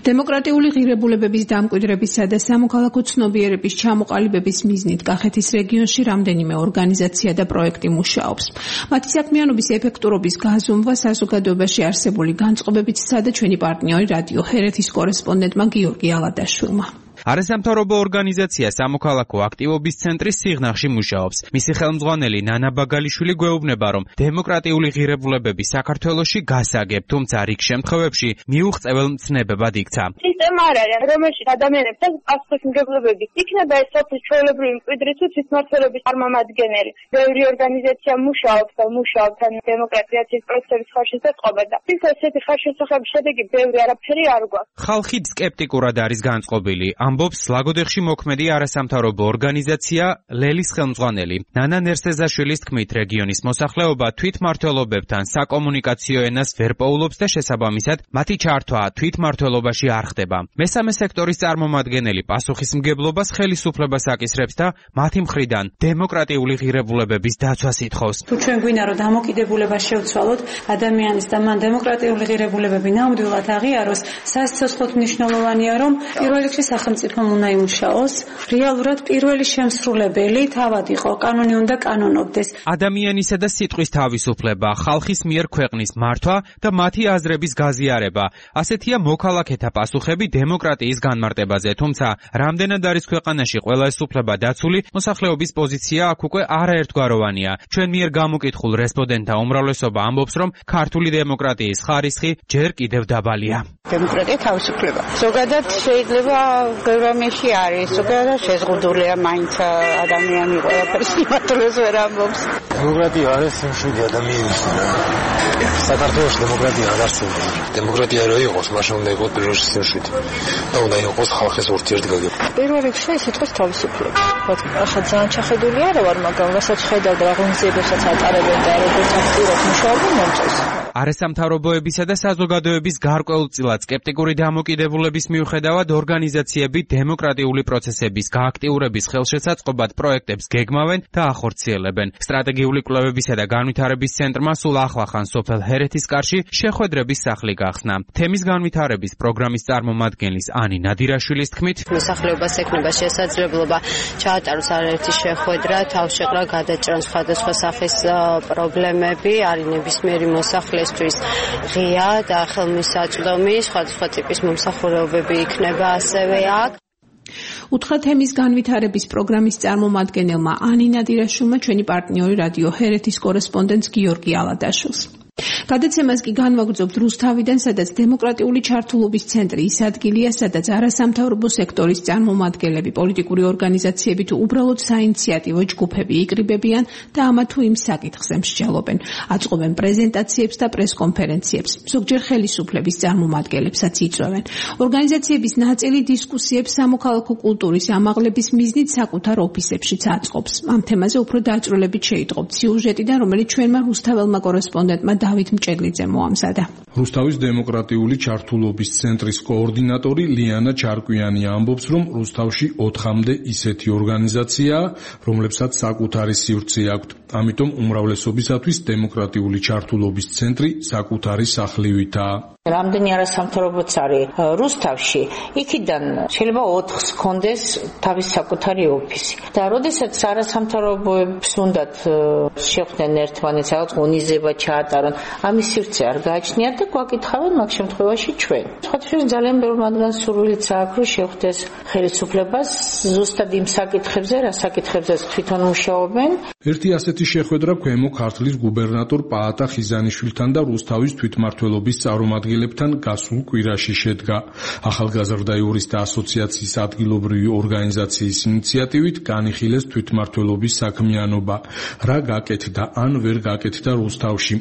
დემოკრატიული ღირებულებების დამკვიდრებისა და სამოქალაქო ცნობიერების ჩამოყალიბების მიზნით კახეთის რეგიონში რამდენიმე ორგანიზაცია და პროექტი მუშაობს. მათი საქმიანობის ეფექტურობის გაზომვა საზოგადოებაში არსებული განწყობებით სცადა ჩვენი პარტნიორი რადიო ჰერეთის კორესპონდენტმა გიორგი ალადაშვილმა. არასამთავრობო ორგანიზაცია სამოქალაქო აქტივობის ცენტრის სიღნაღში მუშაობს. მისი ხელმძღვანელი ნანა ბაგალიშვილი გვეუბნება, რომ დემოკრატიული ღირებულებები საქართველოში გასაგებ, თუმცა რიგ შემთხვევებში მიუღწეվել მცნებებად იქცა. სისტემა არ არის, რომელშიც ადამიანებთან პასუხისმგებლობები იქნება ეს სოფლის ჩვეულებრივი მკვიდრი თუ თვითმმართველობის წარმომადგენელი. ბევრი ორგანიზაცია მუშაობს და მუშაობს ან დემოკრატიზაციის პროცესის ხარშის დაწყობა და ის ესეთი ხარშესახების შედეგი ბევრი არაფერი არ გვაქვს. ხალხი სკეპტიკურად არის განწყობილი. ამბობს ლაგოდეხში მოქმედი არასამთავრობო ორგანიზაცია ლელის ხელმძღვანელი. ნანა ნერსეზაშვილის თქმით, რეგიონის მოსახლეობა თვითმმართველობებთან საკომუნიკაციო ენას ვერ პოულობს და შესაბამისად მათი ჩართვა თვითმმართველობაში არ ხდება. მესამე სექტორის წარმომადგენელი პასუხისმგებლობას ხელისუფლებას აკისრებს და მათი მხრიდან დემოკრატიული ღირებულებების დაცვას ითხოვს. თუ ჩვენ გვინდა რომ დამოკიდებულება შევცვალოთ ადამიანის და მან დემოკრატიული ღირებულებები ნამდვილად აღიაროს, სასიცოცხლოდ მნიშვნელოვანია რომ პირველ რიგში სახელმწიფო თვითონ უნდა იმუშაოს. რეალურად პირველი შემსრულებელი თავად იყო, კანონი უნდა კანონობდეს. ადამიანისა და სიტყვის თავისუფლება, ხალხის მიერ ქვეყნის მართვა და მათი აზრების გაზიარება. ასეთია მოქალაქეთა პასუხები დემოკრატიის განმარტებაზე, თუმცა რამდენად არის ქვეყანაში ყველა ეს უფლება დაცული, მოსახლეობის პოზიცია აქ უკვე არაერთგვაროვანია. ჩვენ მიერ გამოკითხულ რესპონდენტთა უმრავლესობა ამბობს, რომ ქართული დემოკრატიის ხარისხი ჯერ კიდევ დაბალია. დემოკრატია თავისუფლება. ზოგადად შეიძლება გერმანიაში არის, ზოგადად შეზღუდულია მაინც ადამიანი ყველაფერს იმართულეს ვერ ამბობს. დემოკრატია არის მშვიდი ადამიანის. საქართველოს დემოკრატია არ არსებობს. დემოკრატია რო იყოს, მაშინ უნდა იყოს პირველ რიგში მშვიდი. და უნდა იყოს ხალხის ურთიერთგაგება. პირველ რიგში სიტყვის თავისუფლება. ახლა ძალიან ჩახედული არა ვარ, მაგრამ რასაც ხედავ და ღონისძიებებსაც ატარებენ და როგორც აქტიურად მუშაობენ მომწონს. არასამთავრობოებისა და საზოგადოების გარკვეულწილად სკეპტიკური დამოკიდებულების მიუხედავად ორგანიზაციები დემოკრატიული პროცესების გააქტიურების ხელშეცაწყობად პროექტებს გეგმავენ და ახორციელებენ. სტრატეგიული კვლევებისა და განვითარების ცენტრმა სულ ახლახან სოფელ ჰერეთისკარში შეხვედრების სახლი გახსნა. თემის განვითარების პროგრამის წარმომადგენლის ანი ნადირაშვილის თქმით, მოსახლეობას ექნება შესაძლებლობა ჩაატაროს არაერთი შეხვედრა, თავშეყრა გადაჭრან სხვადასხვა სახის პრობლემები, არის ნებისმიერი მოსახლისთვის ღია და ხელმისაწვდომი, სხვადასხვა ტიპის მომსახურებები იქნება ასევე აქ. უთხრა თემის განვითარების პროგრამის წარმომადგენელმა ანი ნადირაშვილმა ჩვენი პარტნიორი რადიო ჰერეთის კორესპონდენტს გიორგი ალადაშვილს. გადაცემას კი განვაგრძობთ რუსთავიდან, სადაც დემოკრატიული ჩართულობის ცენტრი ის ადგილია, სადაც არასამთავრობო სექტორის წარმომადგენლები, პოლიტიკური ორგანიზაციები თუ უბრალოდ საინიციატივო ჯგუფები იკრიბებიან და ამა თუ იმ საკითხზე მსჯელობენ. აწყობენ პრეზენტაციებს და პრესკონფერენციებს. ზოგჯერ ხელისუფლების წარმომადგენლებსაც იწვევენ. ორგანიზაციების ნაწილი დისკუსიებს სამოქალაქო კულტურის ამაღლების მიზნით საკუთარ ოფისებშიც აწყობს. ამ თემაზე უფრო დაწვრილებით შეიტყობთ სიუჟეტიდან, რომელიც ჩვენმა რუსთაველმა კორესპონდენტმა დავით მჭედლიძე მოამზადა. რუსთავის დემოკრატიული ჩართულობის ცენტრის კოორდინატორი ლიანა ჩარკვიანი ამბობს, რომ რუსთავში ოთხამდე ისეთი ორგანიზაციაა, რომლებსაც საკუთარი სივრცე აქვთ. ამიტომ უმრავლესობისათვის დემოკრატიული ჩართულობის ცენტრი საკუთარი სახლივითაა. რამდენი არასამთავრობოც არის რუსთავში, იქიდან შეიძლება ოთხს ჰქონდეს თავის საკუთარი ოფისი. და როდესაც არასამთავრობოებს უნდათ შეხვდნენ ერთმანეთს, რაღაც ღონისძიება ჩაატარონ, ამის სივრცე არ გააჩნიათ და გვაკითხავენ მაგ შემთხვევაში ჩვენ. სხვათაშორის ძალიან ბევრი მათგან სურვილიც აქვს, რომ შეხვდეს ხელისუფლებას ზუსტად იმ საკითხებზე, რა საკითხებზეც თვითონ მუშაობენ. ერთი ასეთი შეხვედრა ქვემო ქართლის გუბერნატორ პაატა ხიზანიშვილთან და რუსთავის თვითმმართველობის წარმომადგენლებთან გასულ კვირაში შედგა. ახალგაზრდა იურისტთა ასოციაციის ადგილობრივი ორგანიზაციის ინიციატივით განიხილეს თვითმმართველობის საქმიანობა, რა გაკეთდა ან ვერ გაკეთდა რუსთავში.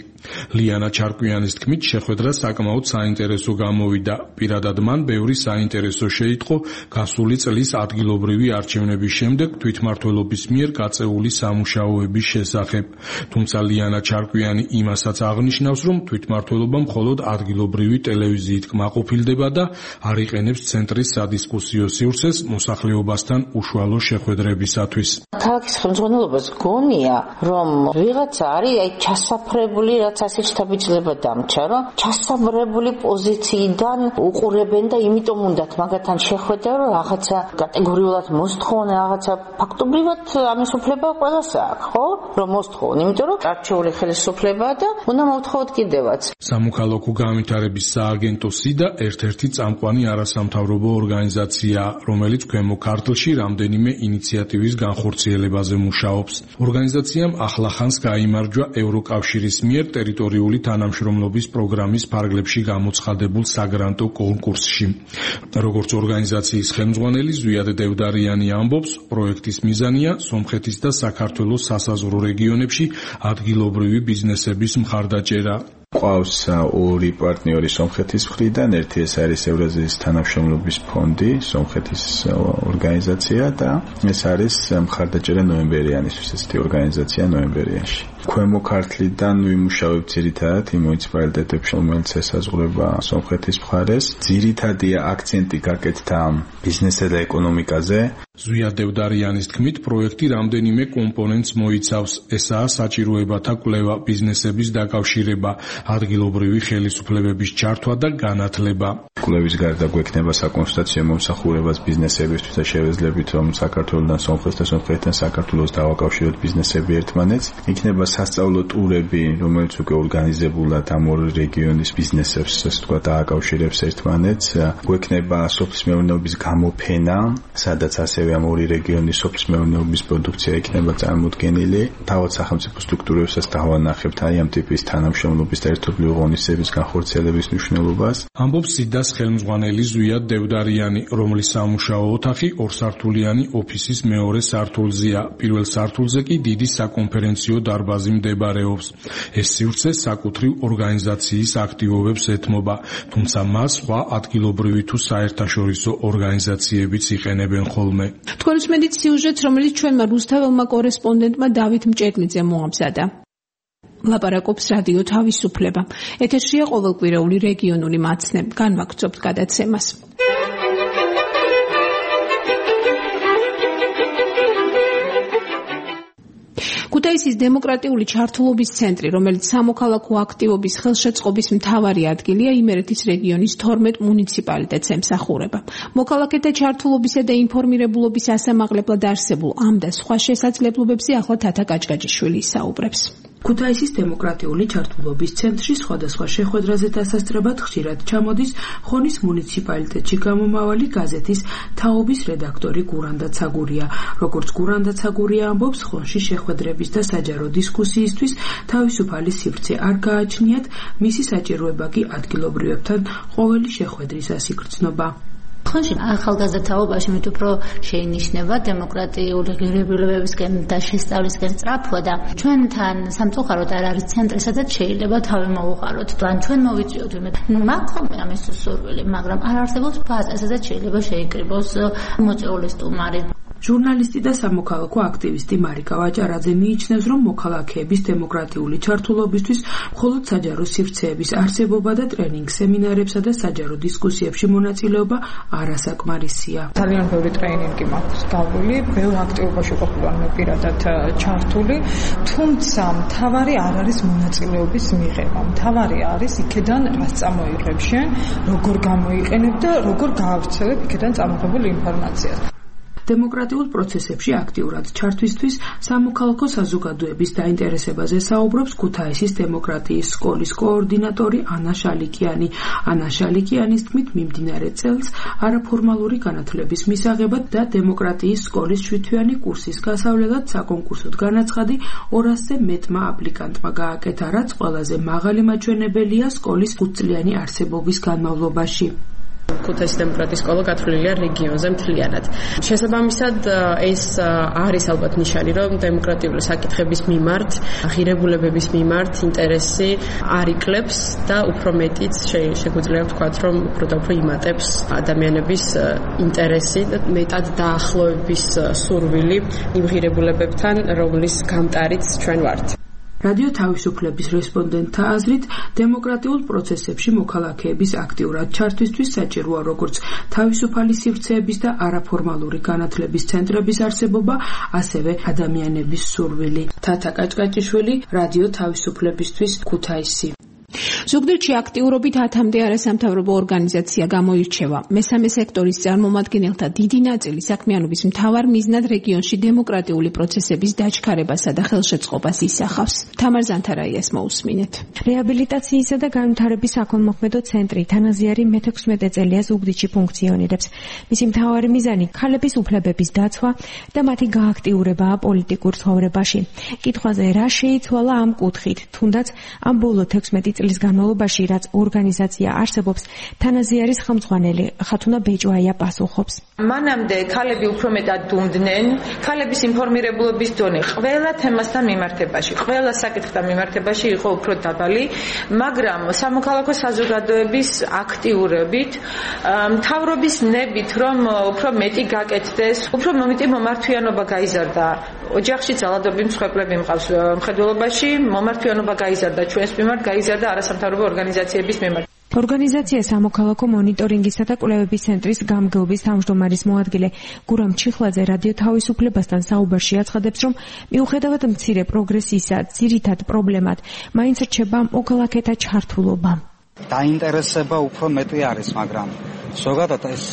ლიანა ჩარკვიანის თქმით, შეხვედრა საკმაოდ საინტერესო გამოვიდა. პირადად მან ბევრი საინტერესო შეიტყო გასული წლის ადგილობრივი არჩევნების შემდეგ თვითმმართველობის მიერ გაწეული სამუშაოების შესახებ. თუმცა ლიანა ჩარკვიანი იმასაც აღნიშნავს, რომ თვითმმართველობა მხოლოდ ადგილობრივი ტელევიზიით კმაყოფილდება და არ იყენებს ცენტრის სადისკუსიო სივრცეს მოსახლეობასთან უშუალო შეხვედრებისათვის. ქალაქის ხელმძღვანელობას გონია, რომ ვიღაცა არის აი ჩასაფრებული, რაც ასე შთაბეჭდილება დამჭა, რომ ჩასაბრებული პოზიციიდან უყურებენ და იმიტომ უნდათ მაგათთან შეხვედრა, რომ რაღაცა კატეგორიულად მოსთხოვონ, რაღაცა ფაქტობრივად ამის უფლება ყველას აქვს, ხო? რომ მოსთხოვონ, იმიტომ რომ არჩეული ხელისუფლებაა და უნდა მოვთხოვოთ კიდევაც. სამოქალაქო განვითარების სააგენტო სიდა ერთ-ერთი წამყვანი არასამთავრობო ორგანიზაციაა, რომელიც ქვემო ქართლში რამდენიმე ინიციატივის განხორციელებაზე მუშაობს. ორგანიზაციამ ახლახანს გაიმარჯვა ევროკავშირის მიერ ტერიტორიული თანამშრომლობის პროგრამის ფარგლებში გამოცხადებულ საგრანტო კონკურსში. როგორც ორგანიზაციის ხელმძღვანელი ზვიად დევდარიანი ამბობს, პროექტის მიზანია სომხეთის და საქართველოს სასაზღვრო რეგიონებში ადგილობრივი ბიზნესების მხარდაჭერა. ყავს ორი პარტნიორი სომხეთის მხრიდან, ერთი ეს არის ევრაზიის თანამშრომლობის ფონდი, სომხეთის ორგანიზაცია და ეს არის მხარდაჭერა ნოემბერიანისთვის, ესეთი ორგანიზაცია ნოემბერიანში. ქვემო ქართლიდან ვიმუშავებ ძირითადად იმ მუნიციპალიტეტებში, რომელიც ესაზღვრება სომხეთის მხარეს. ძირითადია აქცენტი გაკეთდა ბიზნესზე და ეკონომიკაზე. ზვია დევდარიანის თქმით, პროექტი რამდენიმე კომპონენტს მოიცავს. ესაა საჭიროებათა კვლევა, ბიზნესების დაკავშირება, ადგილობრივი ხელისუფლებების ჩართვა და განათლება. კვლევის გარდა გვექნება საკონსულტაციო მომსახურებას ბიზნესებისთვის და შევეძლებით, რომ საქართველოსთან სომხეთს და სომხეთთან საქართველოს დავაკავშიროთ ბიზნესები ერთმანეთს. იქნება სასწავლო ტურები, რომელიც უკვე ორგანიზებულად ამ ორი რეგიონის ბიზნესებს, ასე ვთქვათ, დააკავშირებს ერთმანეთს. გვექნება სოფლის მეურნეობის გამოფენა, სადაც ასევე ამ ორი რეგიონის სოფლის მეურნეობის პროდუქცია იქნება წარმოდგენილი. თავად სახელმწიფო სტრუქტურებსაც დავანახებთ აი ამ ტიპის თანამშრომლობის და ერთობლივი ღონისძიების განხორციელების მნიშვნელობას. ამბობს სიდას ხელმძღვანელი ზვია დევდარიანი, რომლის სამუშაო ოთახი ორსართულიანი ოფისის მეორე სართულზეა. პირველ სართულზე კი დიდი საკონფერენციო დარბაზი მდებარეობს. ეს სივრცე საკუთრივ ორგანიზაციის აქტივობებს ეთმობა, თუმცა მას სხვა ადგილობრივი თუ საერთაშორისო ორგანიზაციებიც იყენებენ ხოლმე. თქვენ უსმენთ სიუჟეტს, რომელიც ჩვენმა რუსთაველმა კორესპონდენტმა დავით მჭედლიძემ მოამზადა. ლაპარაკობს რადიო თავისუფლება. ეთერშია ყოველკვირეული რეგიონული მაცნე. განვაგრძობთ გადაცემას. ქუთაისის დემოკრატიული ჩართულობის ცენტრი, რომელიც სამოქალაქო აქტივობის ხელშეწყობის მთავარი ადგილია, იმერეთის რეგიონის თორმეტ მუნიციპალიტეტს ემსახურება. მოქალაქეთა ჩართულობისა და ინფორმირებულობის ასამაღლებლად არსებულ ამ და სხვა შესაძლებლობებზე ახლა თათა კაჭკაჭიშვილი ისაუბრებს. ქუთაისის დემოკრატიული ჩართულობის ცენტრში სხვადასხვა შეხვედრაზე დასასწრებად ხშირად ჩამოდის ხონის მუნიციპალიტეტში გამომავალი გაზეთის თაობის რედაქტორი გურანდა ცაგურია. როგორც გურანდა ცაგურია ამბობს, ხონში შეხვედრების და საჯარო დისკუსიისთვის თავისუფალი სივრცე არ გააჩნიათ, მისი საჭიროება კი ადგილობრივებთან ყოველი შეხვედრისას იგრძნობა. ხონში ახალგაზრდა თაობაში მით უფრო შეინიშნება დემოკრატიული ღირებულებებისკენ და შესწავლისკენ სწრაფვა და ჩვენთან სამწუხაროდ არ არის ცენტრი, სადაც შეიძლება თავი მოუყაროთ. ან ჩვენ მოვიწვიოთ ვინმე. მაქვს ხოლმე ამის სურვილი, მაგრამ არ არსებობს ბაზა, სადაც შეიძლება შეიკრიბოს მოწვეული სტუმარი. ჟურნალისტი და სამოქალაქო აქტივისტი მარიკა ვაჭარაძე მიიჩნევს, რომ მოქალაქეების დემოკრატიული ჩართულობისთვის მხოლოდ საჯარო სივრცეების არსებობა და ტრენინგ სემინარებსა და საჯარო დისკუსიებში მონაწილეობა არასაკმარისია. ძალიან ბევრი ტრენინგი მაქვს გავლილი, ბევრ აქტივობაში ყოფილი მე პირადად ჩართული, თუმცა მთავარი არ არის მონაწილეობის მიღება. მთავარი არის იქედან რას წამოიღებ შენ, როგორ გამოიყენებ და როგორ გაავრცელებ იქედან წამოღებულ ინფორმაციას. დემოკრატიულ პროცესებში აქტიურად ჩართვისთვის სამოქალაქო საზოგადოების დაინტერესებაზე საუბრობს ქუთაისის დემოკრატიის სკოლის კოორდინატორი ანა შალიკიანი. ანა შალიკიანის თქმით, მიმდინარე წელს არაფორმალური განათლების მისაღებად და დემოკრატიის სკოლის შვიდთვიანი კურსის გასავლელად საკონკურსოდ განაცხადი ორასზე მეტმა აპლიკანტმა გააკეთა, რაც ყველაზე მაღალი მაჩვენებელია სკოლის ხუთწლიანი არსებობის განმავლობაში. ქუთაისის დემოკრატიის სკოლა გათვლილია რეგიონზე მთლიანად. შესაბამისად, ეს არის ალბათ ნიშანი, რომ დემოკრატიული საკითხების მიმართ, ღირებულებების მიმართ ინტერესი არ იკლებს და უფრო მეტიც შეგვიძლია ვთქვათ, რომ უფრო და უფრო იმატებს ადამიანების ინტერესი და მეტად დაახლოების სურვილი იმ ღირებულებებთან, რომლის გამტარიც ჩვენ ვართ. რადიო თავისუფლების რესპონდენტთა აზრით, დემოკრატიულ პროცესებში მოქალაქეების აქტიურად ჩართვისთვის საჭიროა როგორც თავისუფალი სივრცეების და არაფორმალური განათლების ცენტრების არსებობა, ასევე ადამიანების სურვილი. თათა კაჭკაჭიშვილი, რადიო თავისუფლებისთვის, ქუთაისი. ზუგდიდში აქტიურობით ათამდე არასამთავრობო ორგანიზაცია გამოირჩევა. მესამე სექტორის წარმომადგენელთა დიდი ნაწილი საქმიანობის მთავარ მიზნად რეგიონში დემოკრატიული პროცესების დაჩქარებასა და ხელშეწყობას ისახავს. თამარ ზანთარაიას მოусმინეთ. რეაბილიტაციისა და განვითარების საქველმოქმედო ცენტრი თანაზიარი მეთექვსმეტე წელია ზუგდიდში ფუნქციონირებს. მისი მთავარი მიზანი ქალების უფლებების დაცვა და მათი გააქტიურებაა პოლიტიკურ ცხოვრებაში. კითხვაზე რა შეიცვალა ამ კუთხით, თუნდაც ამ ბოლო თექვსმეტი წლის განმავლობაში, რაც ორგანიზაცია არსებობს, თანაზიარის ხელმძღვანელი ხათუნა ბეჭვაია პასუხობს. მანამდე ქალები უფრო მეტად დუმდნენ, ქალების ინფორმირებულობის დონე ყველა თემასთან მიმართებაში, ყველა საკითხთან მიმართებაში იყო უფრო დაბალი, მაგრამ სამოქალაქო საზოგადოების აქტიურობით, მთავრობის ნებით, რომ უფრო მეტი გაკეთდეს, უფრო მეტი მომართვიანობა გაიზარდა. ოჯახში ძალადობრივი მსხვერპლები მყავს მხედველობაში, მომართვიანობა გაიზარდა ჩვენს მიმართ, გაიზარდა არასამთავრობო ორგანიზაციების მიმართ. ორგანიზაცია სამოქალაქო მონიტორინგისა და კვლევების ცენტრის გამგეობის თავმჯდომარის მოადგილე გურამ ჩიხლაძე რადიო თავისუფლებასთან საუბარში აცხადებს, რომ მიუხედავად მცირე პროგრესისა, ძირითად პრობლემად მაინც რჩება მოქალაქეთა ჩართულობა. დაინტერესება უფრო მეტი არის, მაგრამ ზოგადად ეს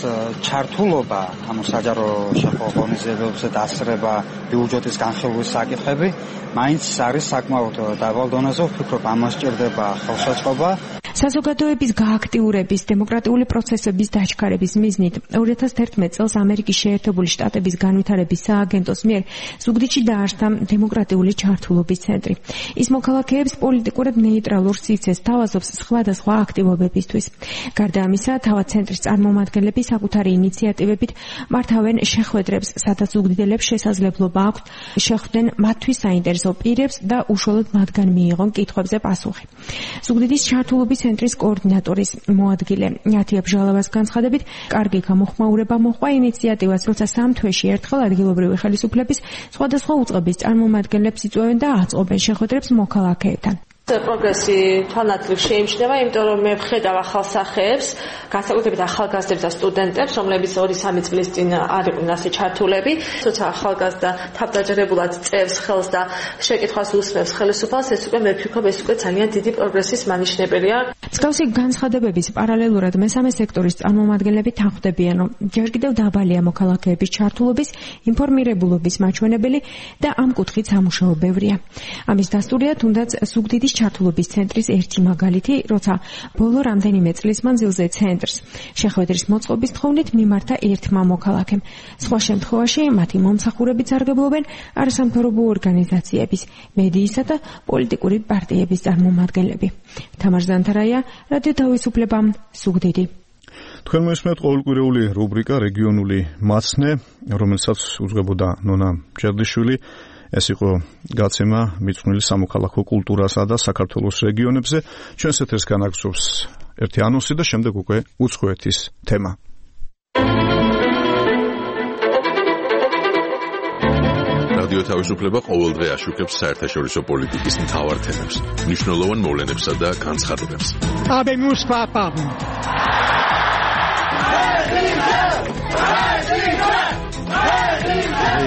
ჩართულობა, ანუ საჯარო შეხო ღონისძიებებზე დასწრება, ბიუჯეტის განხილვის საკითხები, მაინც არის საკმაოდ დაბალ დონეზე, ვფიქრობ, ამას სჭირდება ხელშეწყობა. საზოგადოების გააქტიურების, დემოკრატიული პროცესების დაჩქარების მიზნით ორი ათას თერთმეტ წელს ამერიკის შეერთებული შტატების განვითარების სააგენტოს მიერ ზუგდიდში დაარსდა დემოკრატიული ჩართულობის ცენტრი. ის მოქალაქეებს პოლიტიკურად ნეიტრალურ სივრცეს თავაზობს სხვადასხვა აქტივობებისთვის. გარდა ამისა, თავად ცენტრის წარმომადგენლები საკუთარი ინიციატივებით მართავენ შეხვედრებს, სადაც ზუგდიდელებს შესაძლებლობა აქვთ შეხვდნენ მათთვის საინტერესო პირებს და უშუალოდ მათგან მიიღონ კითხვებზე პასუხი. ზუგდიდის ჩართულობის ცენტრის კოორდინატორის მოადგილე ნათია ბჟალავას განცხადებით, კარგი გამოხმაურება მოჰყვა ინიციატივას, როცა სამ თვეში ერთხელ ადგილობრივი ხელისუფლების სხვადასხვა უწყების წარმომადგენლებს იწვევენ და აწყობენ შეხვედრებს მოქალაქეებთან. პროგრესი თვალნათლივ შეიმჩნევა, იმიტომ რომ მე ვხედავ ახალ სახეებს, განსაკუთრებით ახალგაზრდებს და სტუდენტებს, რომლებიც ორი სამი წლის წინ არ იყვნენ ასე ჩართულები. თუმცა ახალგაზრდა თავდაჯერებულად წევს ხელს და შეკითხვას უსმევს ხელისუფალს, ეს უკვე მე ვფიქრობ, ეს უკვე ძალიან დიდი პროგრესის მანიშნებელია. მსგავსი განცხადებების პარალელურად მესამე სექტორის წარმომადგენლები თანხმდებიან, რომ ჯერ კიდევ დაბალია მოქალაქეების ჩართულობის, ინფორმირებულობის მაჩვენებელი და ამ კუთხით სამუშაო ბევრია. ამის დასტურია თუნდაც ზუგდიდის ჩართულობის ცენტრის ერთი მაგალითი, როცა ბოლო რამდენიმე წლის მანძილზე ცენტრს შეხვედრის მოწყობის თხოვნით მიმართა ერთმა მოქალაქემ. სხვა შემთხვევაში მათი მომსახურებით სარგებლობენ არასამთავრობო ორგანიზაციების, მედიისა და პოლიტიკური პარტიების წარმომადგენლები. თამარ ზანთარაია, რადიო თავისუფლება, ზუგდიდი. თქვენ მოისმენთ ყოველკვირეული რუბრიკა რეგიონული მაცნე, რომელსაც უძღვებოდა ნონა ჯერდიშვილი. ეს იყო გაცემა მიძღვნილი სამოქალაქო კულტურასა და საქართველოს რეგიონებზე. ჩვენს ეთერს განაგრძობს ერთი ანონსი და შემდეგ უკვე უცხოეთის თემა. რადიო თავისუფლება ყოველდღე აშუქებს საერთაშორისო პოლიტიკის მთავარ თემებს, მნიშვნელოვან მოვლენებსა და განცხადებებს. Habemos papa.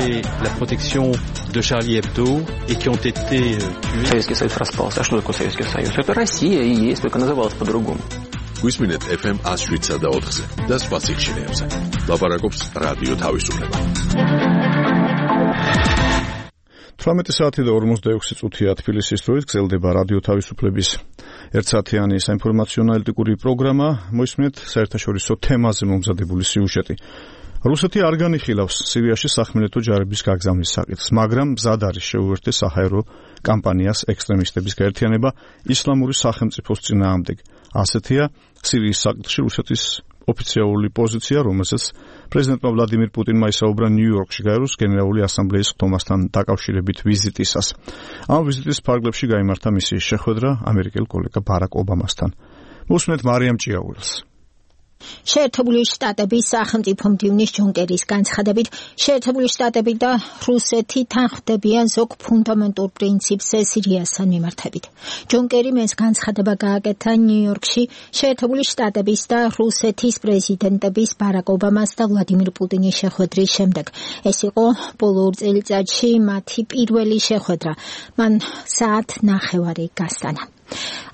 Et la protection de Charlie Hebdo et qui ont été euh, tués. Советский Союз распался. А что такое Советский Союз? Это Россия и есть, только называлась по-другому. Გვისმინეთ эф эм one oh seven და ოთხზე და სხვა სიხშირეებზე. ლაპარაკობს რადიო თავისუფლება. თვრამეტი საათი და ორმოცდაექვსი წუთია თბილისის დროით გრძელდება რადიო თავისუფლების ერთსაათიანი საინფორმაციო ანალიტიკური პროგრამა. მოისმენთ საერთაშორისო თემაზე მომზადებული სიუჟეტი. რუსეთი არ განიხილავს სირიაში სახმელეთო ჯარების გაგზავნის საკითხს, მაგრამ მზად არის შეუერთდეს საჰაერო კამპანიას ექსტრემისტების გაერთიანება ისლამური სახელმწიფოს წინააღმდეგ. ასეთია სირიის საკითხში რუსეთის ოფიციალური პოზიცია, რომელზეც პრეზიდენტმა ვლადიმირ პუტინმა ისაუბრა ნიუ-იორკში გაეროს გენერალური ასამბლეის ხდომასთან დაკავშირებით ვიზიტისას. ამ ვიზიტის ფარგლებში გაიმართა მისი შეხვედრა ამერიკელ კოლეგა ბარაკ ობამასთან. მოსმენთ მარიამ ჭიაურელს. შეერთებული შტატების სახელმწიფო მდივნის ჯონ კერის განცხადებით, შეერთებული შტატები და რუსეთი თანხმდებიან ზოგ ფუნდამენტურ პრინციპზე სირიასთან მიმართებით. ჯონ კერიმ ეს განცხადება გააკეთა ნიუ-იორკში შეერთებული შტატების და რუსეთის პრეზიდენტების ბარაკ ობამას და ვლადიმირ პუტინის შეხვედრის შემდეგ. ეს იყო ბოლო ორ წელიწადში მათი პირველი შეხვედრა. მან საათ ნახევარი გასტანა.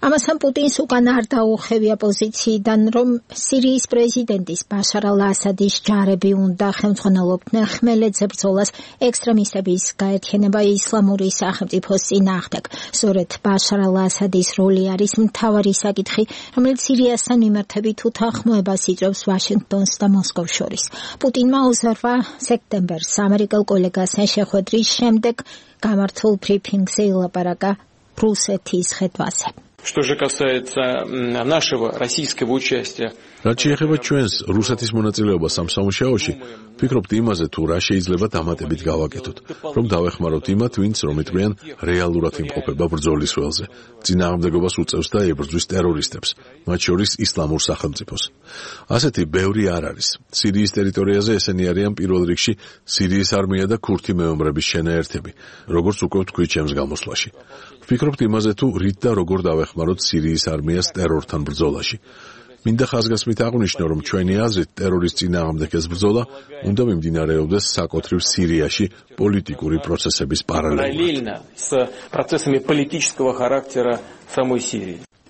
ამასთან პუტინს უკან არ დაუხევია პოზიციიდან, რომ სირიის პრეზიდენტის ბაშარ ალ-ასადის ჯარები უნდა ხელმძღვანელობდნენ ხმელეთზე ბრძოლას ექსტრემისტების გაერთიანება ისლამური სახელმწიფოს წინააღმდეგ. სწორედ ბაშარ ალ-ასადის როლი არის მთავარი საკითხი, რომელიც სირიასთან მიმართებით უთანხმოებას იწვევს ვაშინგტონს და მოსკოვს შორის. პუტინმა ოცდაოთხ სექტემბერს ამერიკელ კოლეგასთან შეხვედრის შემდეგ გამართულ ბრიფინგზე ელაპარაკა რუსეთის ხედვაზე. Что же касается нашего российского участия. რაც შეეხება ჩვენს რუსეთის მონაწილეობას ამ სამუშაოში, ვფიქრობთ იმაზე, თუ რა შეიძლება დამატებით გავაკეთოთ, რომ დავეხმაროთ იმათ, ვინც რომ იტყვიან რეალურად იმყოფება ბრძოლის ველზე, წინააღმდეგობას უწევს და ებრძვის ტერორისტებს, მათ შორის ისლამურ სახელმწიფოს. ასეთი ბევრი არ არის. სირიის ტერიტორიაზე ესენი არიან პირველ რიგში სირიის არმია და ქურთი მეომრების შენაერთები, როგორც უკვე ვთქვი ჩემს გამოსვლაში. ვფიქრობთ იმაზე, თუ რით და როგორ დავეხმაროთ სირიის არმიას ტერორთან ბრძოლაში. მინდა ხაზგასმით აღვნიშნო, რომ ჩვენი აზრით ტერორის წინააღმდეგ ეს ბრძოლა უნდა მიმდინარეობდეს საკუთრივ სირიაში პოლიტიკური პროცესების პარალელურად.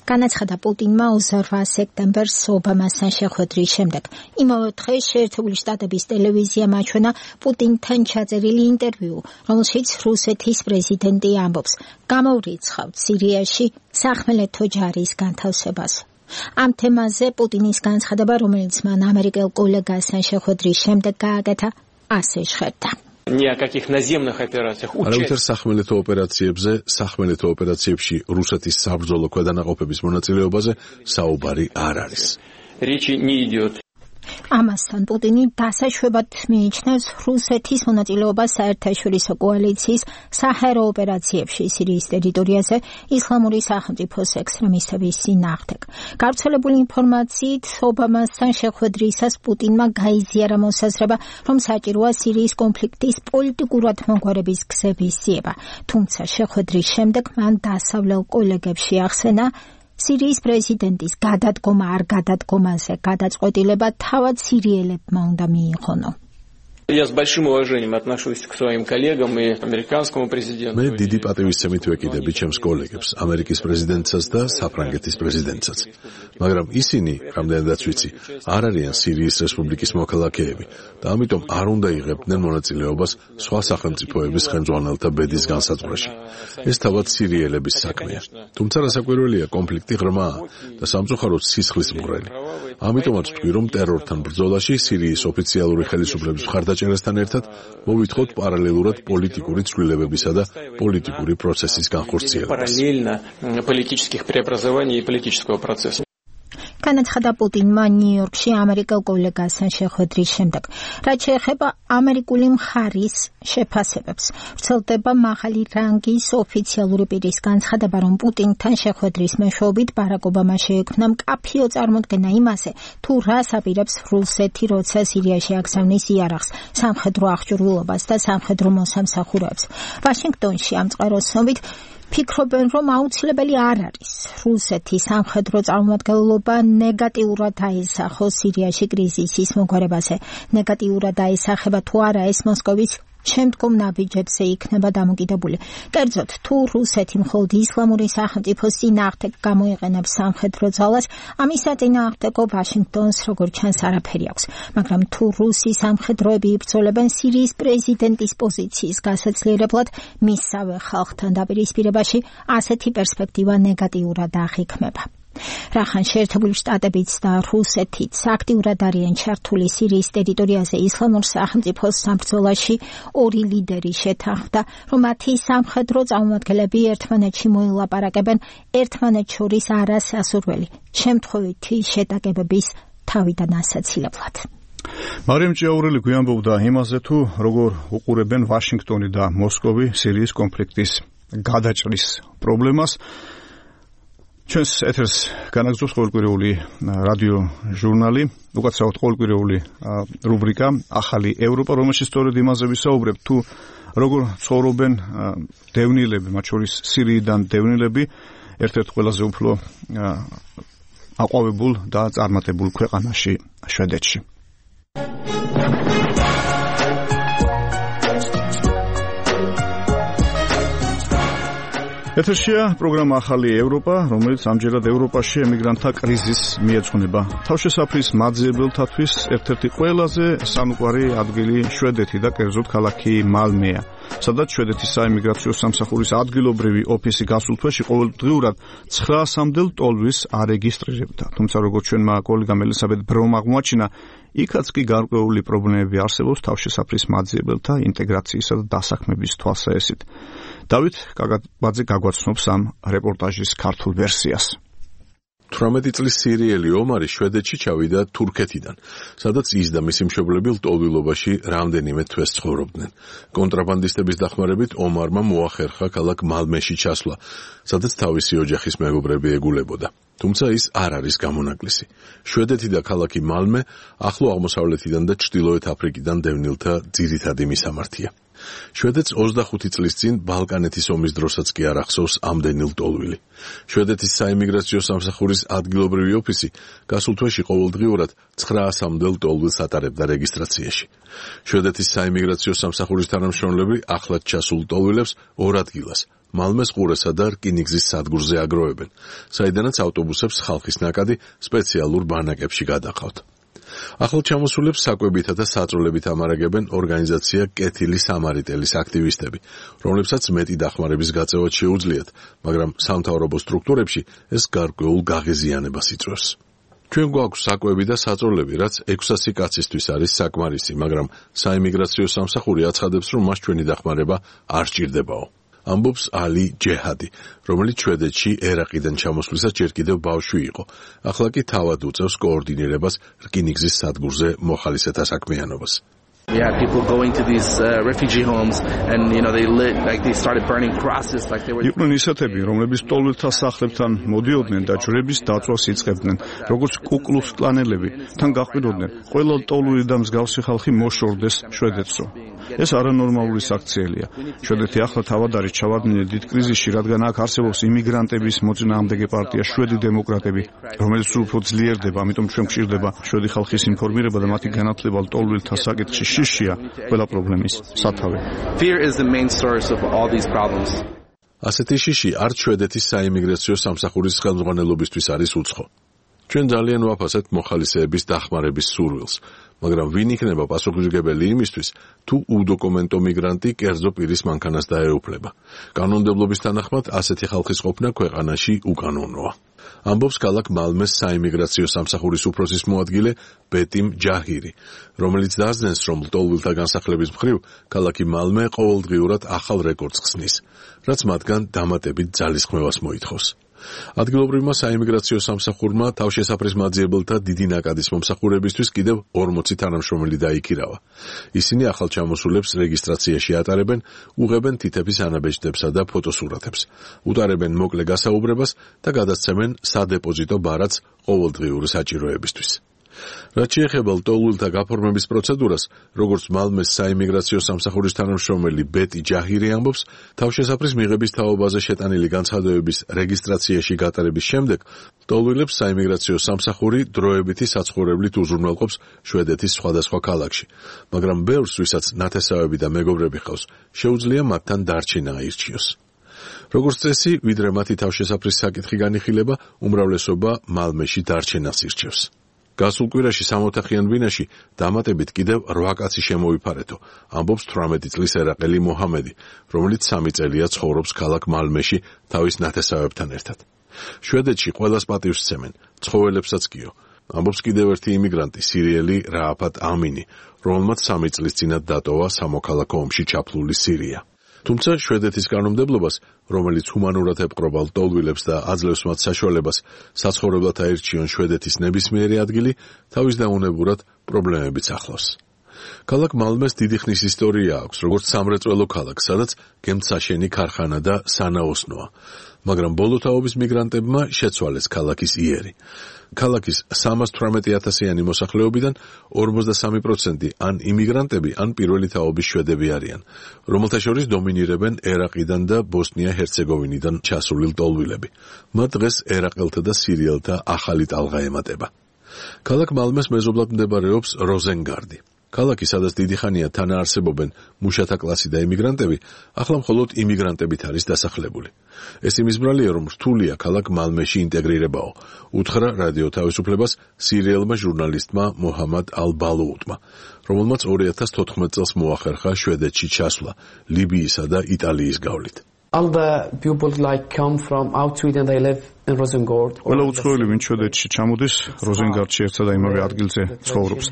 განაცხადა პუტინმა ოცდაოთხ სექტემბერს ობამასთან შეხვედრის შემდეგ. იმავე დღეს შეერთებული შტატების ტელევიზიამ აჩვენა პუტინთან ჩაწერილი ინტერვიუ, რომელშიც რუსეთის პრეზიდენტი ამბობს, გამოვრიცხავთ სირიაში სახმელეთო ჯარის განთავსებას. ამ თემაზე პუტინის განცხადება, რომელიც მან ამერიკელ კოლეგასთან შეხვედრის შემდეგ გააკეთა, ასე ჟღერდა. Ни о каких наземных операциях. არავითარ სახმელეთო ოპერაციებზე, სახმელეთო ოპერაციებში რუსეთის საბრძოლო ქვედანაყოფების მონაწილეობაზე საუბარი არ არის. Речи не идет. ამასთან პუტინი დასაშვებად მიიჩნევს რუსეთის მონაწილეობას საერთაშორისო კოალიციის საჰაერო ოპერაციებში სირიის ტერიტორიაზე ისლამური სახელმწიფოს ექსტრემისტების წინააღმდეგ. გავრცელებული ინფორმაციით, ობამასთან შეხვედრისას პუტინმა გაიზიარა მოსაზრება, რომ საჭიროა სირიის კონფლიქტის პოლიტიკურად მოგვარების გზების ძიება. თუმცა შეხვედრის შემდეგ მან დასავლელ კოლეგებში ახსენა, სირიის პრეზიდენტის გადადგომა არ გადადგომაზე გადაწყვეტილება თავად სირიელებმა უნდა მიიღონო. Я с большим уважением отношусь к своим коллегам и американскому президенту. მე დიდი პატივისცემით ვეკიდები ჩემს კოლეგებს, ამერიკის პრეზიდენტსაც და საფრანგეთის პრეზიდენტსაც. მაგრამ ისინი, რამდენადაც ვიცი, არ არიან სირიის რესპუბლიკის მოქალაქეები და ამიტომ არ უნდა იღებდნენ მონაწილეობას სხვა სახელმწიფოების ხელმძღვანელთა ბედის განსაზღვრაში. ეს თავად სირიელების საქმეა. თუმცა რასაკვირველია, კონფლიქტი ღრმაა და სამწუხაროდ სისხლის მღვრელი. ამიტომაც ვთქვი, რომ ტერორთან ბრძოლაში სირიის ოფიციალური ხელისუფლების მხარდაჭერასთან ერთად მოვითხოვთ პარალელურად პოლიტიკური ცვლილებებისა და პოლიტიკური პროცესის განხორციელებას. განაცხადა პუტინმა ნიუ-იორკში ამერიკელ კოლეგასთან შეხვედრის შემდეგ. რაც შეეხება ამერიკული მხარის შეფასებებს, ვრცელდება მაღალი რანგის ოფიციალური პირის განცხადება, რომ პუტინთან შეხვედრის მეშვეობით ბარაკ ობამა შეექმნა მკაფიო წარმოდგენა იმაზე, თუ რას აპირებს რუსეთი, როცა სირიაში აგზავნის იარაღს, სამხედრო აღჭურვილობას და სამხედრო მოსამსახურეებს. ვაშინგტონში ამ წყაროს ცნობით ფიქრობენ, რომ აუცილებელი არ არის რუსეთის სამხედრო წარმომადგენლობა ნეგატიურად აისახოს სირიაში კრიზისის მოგვარებაზე. ნეგატიურად აისახება თუ არა, ეს მოსკოვის შემდგომ ნაბიჯებზე იქნება დამოკიდებული. კერძოდ, თუ რუსეთი მხოლოდ ისლამური სახელმწიფოს წინააღმდეგ გამოიყენებს სამხედრო ძალას, ამის საწინააღმდეგო ვაშინგტონს როგორც ჩანს არაფერი აქვს. მაგრამ თუ რუსი სამხედროები იბრძოლებენ სირიის პრეზიდენტის პოზიციის გასაძლიერებლად, მისსავე ხალხთან დაპირისპირებაში, ასეთი პერსპექტივა ნეგატიურად აღიქმება. რახან შეერთებული შტატებიც და რუსეთიც აქტიურად არიან ჩართული სირიის ტერიტორიაზე ისლამურ სახელმწიფოს საბრძოლაში, ორი ლიდერი შეთანხმდა, რომ მათი სამხედრო წარმომადგენლები ერთმანეთში მოილაპარაკებენ ერთმანეთს შორის არასასურველი, შემთხვევითი შეტაკებების თავიდან ასაცილებლად. მარიამ ჭიაურელი გვიანბობდა იმაზე, თუ როგორ უყურებენ ვაშინგტონი და მოსკოვი სირიის კონფლიქტის გადაჭრის პრობლემას. ჩვენს ეთერს განაგრძობს ყოველკვირეული რადიო ჟურნალი, უკაცრავად ყოველკვირეული რუბრიკა ახალი ევროპა, რომელშიც სწორედ იმაზე ვისაუბრებ, თუ როგორ ცხოვრობენ დევნილები, მათ შორის სირიიდან დევნილები, ერთ-ერთ ყველაზე უფრო აყვავებულ და წარმატებულ ქვეყანაში, შვედეთში. ეთერშია პროგრამა ახალი ევროპა, რომელიც ამჯერად ევროპაში ემიგრანტთა კრიზისს მიეძღვნება. თავშესაფრის მაძიებელთათვის ერთ-ერთი ყველაზე სამუყვარი ადგილი შვედეთი და კერძოდ ქალაქი მალმეა, სადაც შვედეთის საიმიგრაციო სამსახურის ადგილობრივი ოფისი გასულ თვეში ყოველდღიურად ცხრაასამდე ტოლვის არეგისტრირებდა. თუმცა როგორც ჩვენმა კოლეგამ ელისაბედ ბრომ აღმოაჩინა, იქაც კი გარკვეული პრობლემები არსებობს თავშესაფრის მაძიებელთა ინტეგრაციისა და დასაქმების თვალსაჩინო. დავით კაკაბაძე გაგვაცნობს ამ რეპორტაჟის ქართულ ვერსიას. თვრამეტი წლის სირიელი ომარი შვედეთში ჩავიდა თურქეთიდან, სადაც ის და მისი მშობლები ლტოლვილობაში რამდენიმე თვეს ცხოვრობდნენ. კონტრაბანდისტების დახმარებით ომარმა მოახერხა ქალაქ მალმეში ჩასვლა, სადაც თავისი ოჯახის მეგობრები ეგულებოდა. თუმცა ის არ არის გამონაკლისი. შვედეთი და ქალაქი მალმე ახლო აღმოსავლეთიდან და ჩრდილოეთ აფრიკიდან დევნილთა ძირითადი მისამართია. შვედეთს ოცდახუთი წლის წინ ბალკანეთის ომის დროსაც კი არ ახსოვს ამდენი ლტოლვილი. შვედეთის საიმიგრაციო სამსახურის ადგილობრივი ოფისი გასულ თვეში ყოველდღიურად ცხრაასამდე ლტოლვილს ატარებდა რეგისტრაციაში. შვედეთის საიმიგრაციო სამსახურის თანამშრომლები ახლად ჩასულ ლტოლვილებს ორ ადგილას მალმეს ყურესა და რკინიგზის სადგურზე აგროვებენ, საიდანაც ავტობუსებს ხალხის ნაკადი სპეციალურ ბანაკებში გადაყავთ. ახლად ჩამოსულებს საკვებითა და საწოლებით ამარაგებენ ორგანიზაცია კეთილი სამარიტელის აქტივისტები, რომლებსაც მეტი დახმარების გაწევა შეუძლიათ, მაგრამ სამთავრობო სტრუქტურებში ეს გარკვეულ გაღიზიანებას იწვევს. ჩვენ გვაქვს საკვები და საწოლები, რაც ექვსასი კაცისთვის არის საკმარისი, მაგრამ საიმიგრაციო სამსახური აცხადებს, რომ მას ჩვენი დახმარება არ სჭირდებაო. ამბობს ალი ჯეჰადი, რომელიც შვედეთში ერაყიდან ჩამოსვლისას ჯერ კიდევ ბავშვი იყო. ახლა კი თავად უწევს კოორდინირებას რკინიგზის სადგურზე მოხალისეთა საქმიანობას. We had people going to these uh, refugee homes and you know they lit like they started burning crosses like they were იყვნენ ისეთები, რომლებიც ლტოლვილთა სახლებთან მოდიოდნენ და ჯვრების დაწვას იწყებდნენ, როგორც კუკლუქს კლანელები, თან გაყვიროდნენ, ყველა ლტოლვილი და მსგავსი ხალხი მოშორდეს შვედეთსო. ეს არანორმალური საქციელია. შვედეთი ახლა თავად არის ჩავარდნილი დიდ კრიზისში, რადგან აქ არსებობს იმიგრანტების მოწინააღმდეგე პარტია შვედი დემოკრატები, რომელიც უფრო ძლიერდება, ამიტომ ჩვენ გვჭირდება შვედი ხალხის ინფორმირება და მათი განათლება ლტოლვილთა საკითხში. შიშია ყველა პრობლემის სათავე. Fear is the main source of all these problems. ასეთი შიში არც შვედეთის საიმიგრაციო სამსახურის ხელმძღვანელობისთვის არის უცხო. ჩვენ ძალიან ვაფასებთ მოხალისეების დახმარების სურვილს, მაგრამ ვინ იქნება პასუხისმგებელი იმისთვის, თუ უდოკუმენტო მიგრანტი კერძო პირის მანქანას დაეუფლება. კანონმდებლობის თანახმად ასეთი ხალხის ყოფნა ქვეყანაში უკანონოა. ამბობს ქალაქ მალმეს საიმიგრაციო სამსახურის უფროსის მოადგილე ბეტიმ ჯაჰირი, რომელიც დაძნეს, რომ ლტოლვილთა განსახლების მხრივ ქალაქი მალმე ყოველდღიურად ახალ რეკორდს ხსნის, რაც მათგან დამატებით ძალისხმევას მოითხოვს. ადგილობრივმა საიმიგრაციო სამსახურმა თავშესაფრის მაძიებელთა დიდი ნაკადის მომსახურებისთვის კიდევ ორმოცი თანამშრომელი დაიქირავა. ისინი ახალ ჩამოსულებს რეგისტრაციაში ატარებენ, უღებენ თითების ანაბეჭდებსა და ფოტოსურათებს, უტარებენ მოკლე გასაუბრებას და გადასცემენ სადეპოზიტო ბარათს ყოველდღიური საჭიროებისთვის. რაც შეეხება ლტოლვილთა გაფორმების პროცედურას, როგორც მალმეს საიმიგრაციო სამსახურის თანამშრომელი ბეტი ჯაჰირი ამბობს, თავშესაფრის მიღების თაობაზე შეტანილი განცხადებების რეგისტრაციაში გატარების შემდეგ ლტოლვილებს საიმიგრაციო სამსახური დროებითი საცხოვრებლით უზრუნველყოფს შვედეთის სხვადასხვა ქალაქში, მაგრამ ბევრს, ვისაც ნათესავები და მეგობრები ჰყავს, შეუძლია მათთან დარჩენა აირჩიოს. როგორც წესი, ვიდრე მათი თავშესაფრის საკითხი განიხილება, უმრავლესობა მალმეში დარჩენას ირჩევს. გასულ კვირაში სამოთახიან ბინაში დამატებით კიდევ რვა კაცი შემოიფარეთო, ამბობს თვრამეტი წლის ერაყელი მოჰამედი, რომელიც სამი წელია ცხოვრობს ქალაქ მალმეში თავის ნათესავებთან ერთად. შვედეთში ყველას პატივს სცემენ, ცხოველებსაც კიო, ამბობს კიდევ ერთი იმიგრანტი, სირიელი რააფატ ამინი, რომელმაც სამი წლის წინათ დატოვა სამოქალაქო ომში ჩაფლული სირია. თუმცა შვედეთის კანონმდებლობას, რომელიც ჰუმანურად ებყრობა ლტოლვილებს და აძლევს მათ საშუალებას საცხოვრებლად აირჩიონ შვედეთის ნებისმიერი ადგილი, თავის დაუნებურად პრობლემებიც ახლავს. ქალაქ მალმეს დიდი ხნის ისტორია აქვს, როგორც სამრეწველო ქალაქს, სადაც გემთსაშენი ქარხანა და სანაოსნოა, მაგრამ ბოლო თაობის მიგრანტებმა შეცვალეს ქალაქის იერი. ქალაქის სამას თვრამეტი ათასიანი მოსახლეობიდან ორმოცდასამი პროცენტი ან იმიგრანტები, ან პირველი თაობის შვედები არიან, რომელთა შორის დომინირებენ ერაყიდან და ბოსნია-ჰერცეგოვინიდან ჩასული ლტოლვილები. მათ დღეს ერაყელთა და სირიელთა ახალი ტალღა ემატება. ქალაქ მალმეს მეზობლად მდებარეობს როზენგარდი. ქალაქი, სადაც დიდი ხანია თანაარსებობენ მუშათა კლასი და იმიგრანტები, ახლა მხოლოდ იმიგრანტებით არის დასახლებული. ეს იმის ბრალია, რომ რთულია ქალაქ მალმეში ინტეგრირებაო, უთხრა რადიო თავისუფლებას სირიელმა ჟურნალისტმა მოჰამად ალ-ბალუუტმა, რომელმაც ორი ათას თოთხმეტ წელს მოახერხა შვედეთში ჩასვლა ლიბიისა და იტალიის გავლით. all the people like come from out Sweden, they live in Rosengård. ყველა უცხოელი ვინც შვედეთში ჩამოდის, როზენგარდში ერთსა და იმავე ადგილზე ცხოვრობს.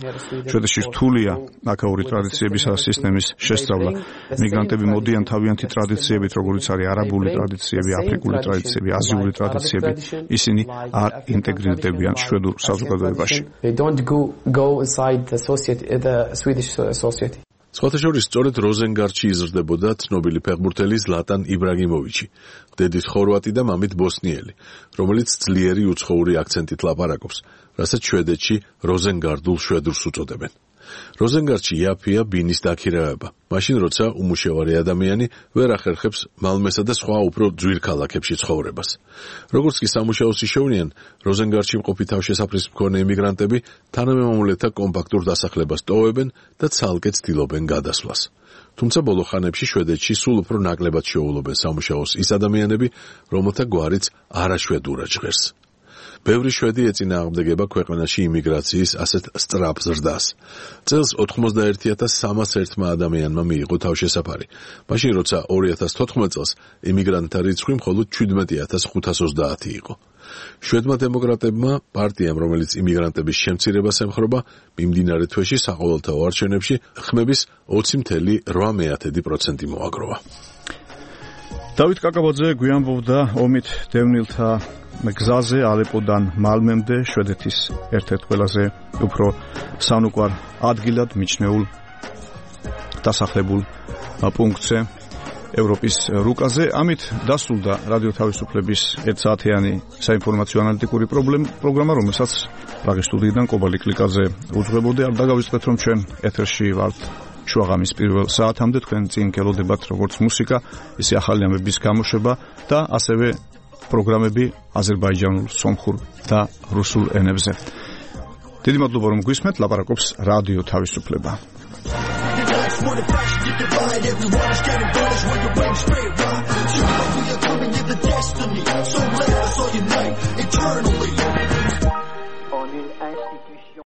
შვედეთში რთულია აქაური ტრადიციების და სისტემის შესწავლა. მიგრანტები მოდიან თავიანთი ტრადიციებით, როგორიც არის არაბული ტრადიციები, აფრიკული ტრადიციები, აზიული ტრადიციები. ისინი არ ინტეგრირდებიან შვედურ საზოგადოებაში. They don't go go inside the society, the Swedish society. სხვათა შორის სწორედ როზენგარდში იზრდებოდა ცნობილი ფეხბურთელი ზლატან იბრაგიმოვიჩი, დედით ხორვატი და მამით ბოსნიელი, რომელიც ძლიერი უცხოური აქცენტით ლაპარაკობს, რასაც შვედეთში როზენგარდულ შვედურს უწოდებენ. როზენგარდში იაფია ბინის დაქირავება, მაშინ როცა უმუშევარი ადამიანი ვერ ახერხებს მალმესა და სხვა უფრო ძვირ ქალაქებში ცხოვრებას. როგორც კი სამუშაოს იშოვნიან, როზენგარდში მყოფი თავშესაფრის მქონე იმიგრანტები თანამემამულეთა კომპაქტურ დასახლებას ტოვებენ და ცალკე ცდილობენ გადასვლას. თუმცა ბოლო ხანებში შვედეთში სულ უფრო ნაკლებად შეუვლობენ სამუშაოს ის ადამიანები, რომელთა გვარიც არაშვედურად ჟღერს. ბევრი შვედი ეწინააღმდეგება ქვეყანაში იმიგრაციის ასეთ სწრაფ ზრდას. წელს ოთხმოცდაერთი ათას სამას ერთმა ადამიანმა მიიღო თავშესაფარი, მაშინ როცა ორი ათას თოთხმეტ წელს იმიგრანტთა რიცხვი მხოლოდ შვიდმეტი ათას ხუთას ოცდაათი იყო. შვედმა დემოკრატებმა პარტიამ, რომელიც იმიგრანტების შემცირებას ემხრობა, მიმდინარე თვეში საყოველთაო არჩევნებში ხმების ოცი მცდარი რვა პროცენტი მოაგროვა. დავით კაკაბაძე გვიანბობდა ომით დევნილთა გზაზე ალეპოდან მალმემდე, შვედეთის ერთ-ერთ ყველაზე უფრო სანუკვარ ადგილად მიჩნეულ დასახლებულ პუნქტზე ევროპის რუკაზე. ამით დასრულდა რადიო თავისუფლების ერთ საათიანი საინფორმაციო ანალიტიკური პროგრამა, რომელსაც პრაღის სტუდიიდან კობალი კლიკაძე უძღვებოდი. არ დაგავიწყდეთ, რომ ჩვენ ეთერში ვართ შუაღამის პირველ საათამდე, თქვენ წინ გელოდებათ როგორც მუსიკა, ისე ახალი ამბების გამოშვება და ასევე პროგრამები აზერბაიჯანულ, სომხურ და რუსულ ენებზე. დიდი მადლობა, რომ გვისმენთ, ლაპარაკობს რადიო თავისუფლება. So let us all unite.